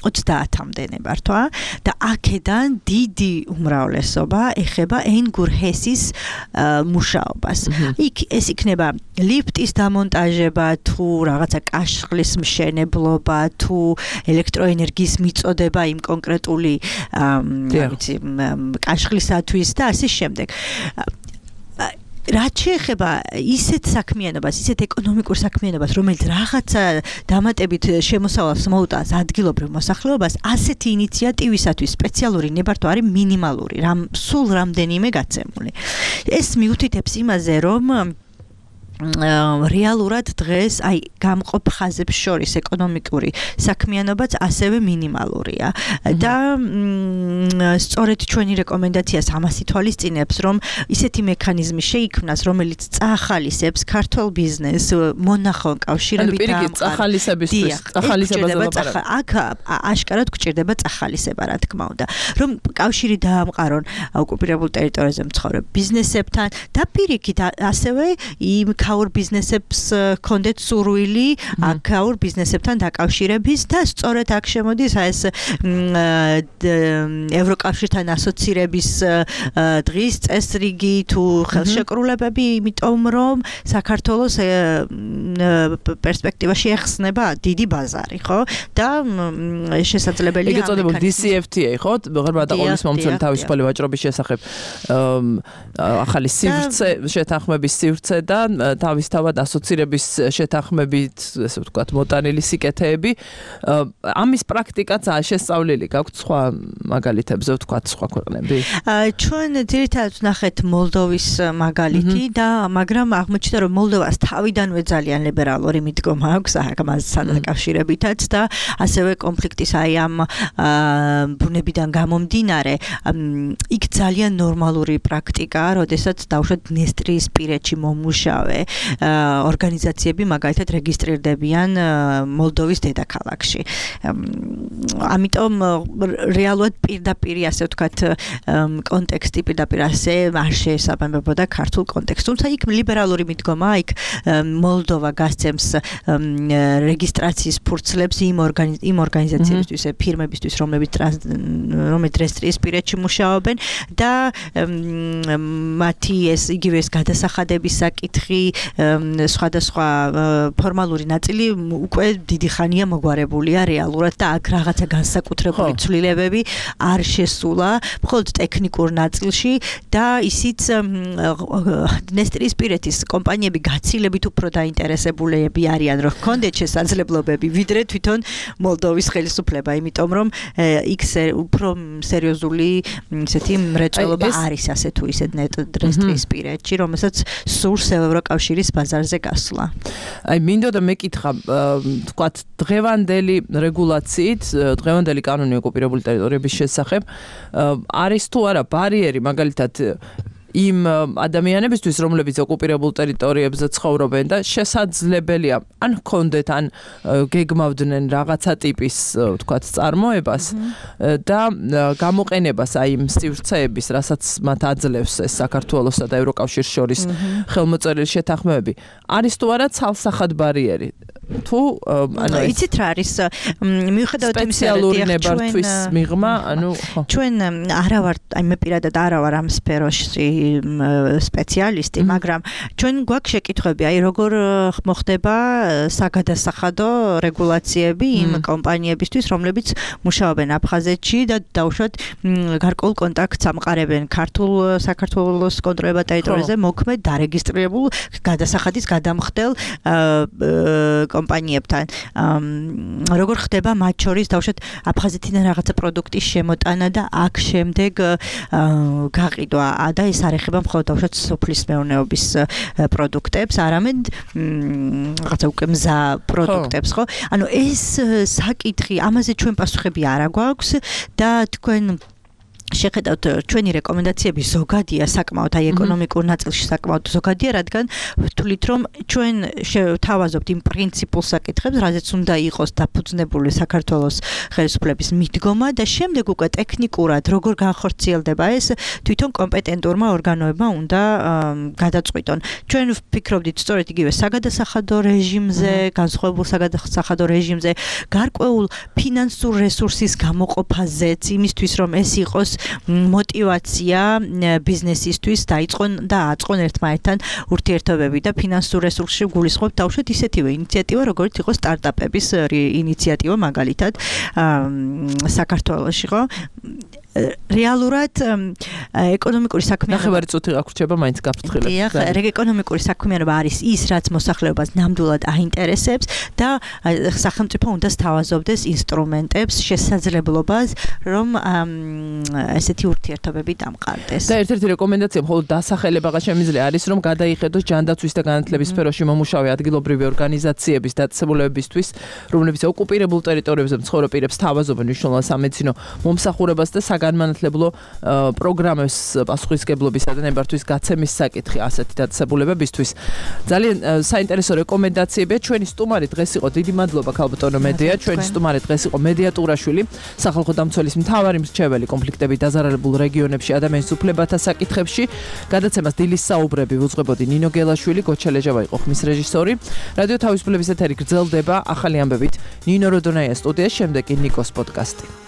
Speaker 5: ოცდაათამდე ნებართვა და აქედან დიდი უმრავლესობა ეხება ენგურ ჰესის მუშაობას. იქ ეს იქნება ლიფტის დამონტაჟება, თუ რაღაცა კაშხლის მშენებლობა, თუ ელექტროენერგიის მიწოდება იმ კონკრეტული ვიცი კაშხლისათვის და ასე შემდეგ. რაც შეეხება ისეთ საქმიანობას, ისეთ ეკონომიკურ საქმიანობას, რომელიც რაღაცა დამატებით შემოსავალს მოუტანს ადგილობრივ მოსახლეობას, ასეთი ინიციატივისათვის სპეციალური ნებართვა არის მინიმალური, რამ სულ რამდენიმე გაცემული. ეს მიუთითებს იმაზე, რომ რეალურად დღეს აი გამყოფ ხაზებს შორის ეკონომიკური საქმიანობაც ასევე მინიმალურია და სწორედ ჩვენი რეკომენდაციას ამას ითვალისწინებს, რომ ისეთი მექანიზმი შეიქმნას, რომელიც წახალისებს ქართულ ბიზნესს მონახონ კავშირებით და
Speaker 2: წახალისებისთვის წახალისებაზე ლაპარაკობ.
Speaker 5: აქ აშკარად გვჭირდება წახალისება, რა თქმა უნდა, რომ კავშირი დაამყარონ ოკუპირებულ ტერიტორიაზე მცხოვრებ ბიზნესებთან და პირიქით ასევე იმ ქაურ ბიზნესებს კონდეთ სურვილი აქაურ ბიზნესებთან დაკავშირების და სწორედ აქ შემოდის ეს ევროკავშირთან ასოცირების დღის წესრიგი თუ ხელშეკრულებები, იმიტომ რომ საქართველოს პერსპექტივაში ეხსნება დიდი ბაზარი, ხო? და შესაძლებელია
Speaker 2: ეგ ეწოდებოდა დი სი ეფ თი ეი, ხო? ღრმა დაყოლის მომცველი თავისუფალი ვაჭრობის შესახებ ახალი სივრცე, შეთანხმების სივრცე და თავისთავად ასოცირების შეთანხმებით, ესე ვთქვათ, მოტანილი სიკეთეები. ამის პრაქტიკაც შეესწავლილი გაქვთ სხვა მაგალითებზე, ვთქვათ, სხვა ქვეყნები?
Speaker 5: ჩვენ ძირითადად ვნახეთ მოლდოვის მაგალითი და მაგრამ აღმოჩნდა, რომ მოლდოვას თავიდანვე ძალიან ლიბერალური მიდგომა აქვს ამასთან დაკავშირებითაც და ასევე კონფლიქტის აი ამ ბუნებიდან გამომდინარე, იქ ძალიან ნორმალური პრაქტიკაა, როდესაც დავუშვათ დნესტრიისპირეთში მომუშავე ორგანიზაციები მაგალითად რეგისტრირდებიან მოლდოვის დედაქალაქში. ამიტომ რეალურად პირდაპირ ასე ვთქვათ კონტექსტი პირდაპირ ასე არ შეესაბამებოდა ქართულ კონტექსტს. თუმცა იქ ლიბერალური მიდგომა, იქ მოლდოვა გასცემს რეგისტრაციის ფურცლებს იმ იმ ორგანიზაციებისთვის, ფირმებისთვის, რომლებიც რომლებიც რეგისტრისპირეთში მუშაობენ და მათი ეს იგივე ეს გადასახადების საკითხი, სხვადასხვა ფორმალური ნაწილი უკვე დიდი ხანია მოგვარებულია რეალურად და აქ რაღაცა განსაკუთრებული ცვლილებები არ შესულა, მხოლოდ ტექნიკურ ნაწილში და ისიც დნესტრიისპირეთის კომპანიები გაცილებით უფრო დაინტერესებულები არიან, რომ ჰქონდეთ შესაძლებლობები, ვიდრე თვითონ მოლდოვის ხელისუფლება, იმიტომ რომ იქ უფრო სერიოზული ისეთი მრეწველობა არის ასე თუ ისე დნესტრიისპირეთში, რომელსაც სურს ევროკავშირის ბაზარზე გასვლა.
Speaker 2: აი მინდოდა მეკითხა, თქვათ, დღევანდელი რეგულაციით, დღევანდელი კანონი ოკუპირებული ტერიტორიების შესახებ არის თუ არა ბარიერი, მაგალითად იმ ადამიანებისთვის, რომლებიც ოკუპირებულ ტერიტორიებზე ცხოვრობენ და შესაძლებელია ან ჰქონდეთ, ან გეგმავდნენ რაღაცა ტიპის, ვთქვათ, წარმოებას და გამოყენებას აი იმ სივრცეების, რასაც მათ აძლევს ეს საქართველოსა და ევროკავშირის შორის ხელმოწერილი შეთანხმებები, არის თუ არა ცალსახად ბარიერი? თუ ანუ
Speaker 5: იცით რა არის მიუხედავად იმისა, რომ
Speaker 2: ნებართვის მიღმა, ანუ
Speaker 5: ჩვენ არა ვარ, აი მე პირადად არა ვარ ამ სფეროში სპეციალისტი, მაგრამ ჩვენ გვაქვს შეკითხვები, აი როგორ მოხდება საგადასახადო რეგულაციები იმ კომპანიებისთვის, რომლებიც მუშაობენ აფხაზეთში და დავუშვათ გარკვეულ კონტაქტს ამყარებენ ქართულ საქართველოს კონტროლებად ტერიტორიაზე მოქმედ დარეგისტრირებულ გადასახადის გადამხდელ კომპანიებთან. როგორ ხდება მათ შორის დავუშვათ აფხაზეთიდან რაღაცა პროდუქტის შემოტანა და აქ შემდეგ გაყიდვა და ეს არ ეხება მხოლოდ დავუშვათ სოფლის მეურნეობის პროდუქტებს, არამედ რაღაცა უკვე მზა პროდუქტებს, ხო? ანუ ეს საკითხი, ამაზე ჩვენ პასუხები არ აგვაქვს და თქვენ შეხედავთ ჩვენი რეკომენდაციები ზოგადია საკმაოდ აი ეკონომიკურ ნაწილში საკმაოდ ზოგადია, რადგან ვთვლით რომ ჩვენ თავაზობთ იმ პრინციპულ საკითხებს, რაზეც უნდა იყოს დაფუძნებული საქართველოს ხელისუფლების მიდგომა და შემდეგ უკვე ტექნიკურად როგორ განხორციელდება ეს თვითონ კომპეტენტურმა ორგანოებმა უნდა გადაწყვიტონ. ჩვენ ვფიქრობდით სწორედ იგივე საგადასახადო რეჟიმზე, განსხვავებულ საგადასახადო რეჟიმზე, გარკვეულ ფინანსურ რესურსის გამოყოფაზეც, იმისთვის რომ ეს იყოს мотивация ბიზნესისთვის დაიწყონ და აწყონ ერთმანეთთან ურთიერთობები და ფინანსურ რესურსში გულისხმობ თავშეთ ისეთივე ინიციატივა, როგორც იყო სტარტაპების ინიციატივა მაგალითად საქართველოში, ხო? რეალურად ეკონომიკური საქმიანობა
Speaker 2: ნახევარი წუთი გაგვრჩება მაინც გაფრთხილებს.
Speaker 5: დიახ, ეკონომიკური საქმიანობა არის ის, რაც მოსახლეობას ნამდვილად აინტერესებს და სახელმწიფო უნდა სთავაზობდეს ინსტრუმენტებს, შესაძლებლობას, რომ ესეთი ურთიერთობები დამყარდეს.
Speaker 2: და ერთ-ერთი რეკომენდაცია მხოლოდ დასახელებაღა შემიძლია არის, რომ გადაიხედოს ჯანდაცვის და განათლების სფეროში მომუშავე ადგილობრივი ორგანიზაციების დაწესებულებებისთვის, რომლებიც ოკუპირებულ ტერიტორიებზე მცხოვრებ პირებს სთავაზობენ მნიშვნელოვან სამედიცინო მომსახურებას და განმანათლებლო პროგრამებს პასუხისგებლობისა და ნებართვის გაცემის საკითხი ასეთი დაწესებულებებისთვის. ძალიან საინტერესო რეკომენდაციებია. ჩვენი სტუმარი დღეს იყო, დიდი მადლობა ქალბატონო მედია. ჩვენი სტუმარი დღეს იყო მედია ტურაშვილი, სახალხო დამცველის მთავარი მრჩეველი კონფლიქტებით დაზარალებულ რეგიონებში ადამიანის უფლებათა საკითხებში. გადაცემას დილის საუბრები უძღვებოდი ნინო გელაშვილი, გოჩელეჟავა იყო ხმის რეჟისორი. რადიო თავისუფლების ეთერი გრძელდება ახალი ამბებით. ნინო როდონაია სტუდიაში, შემდეგ კი ნიკოს პოდკასტი.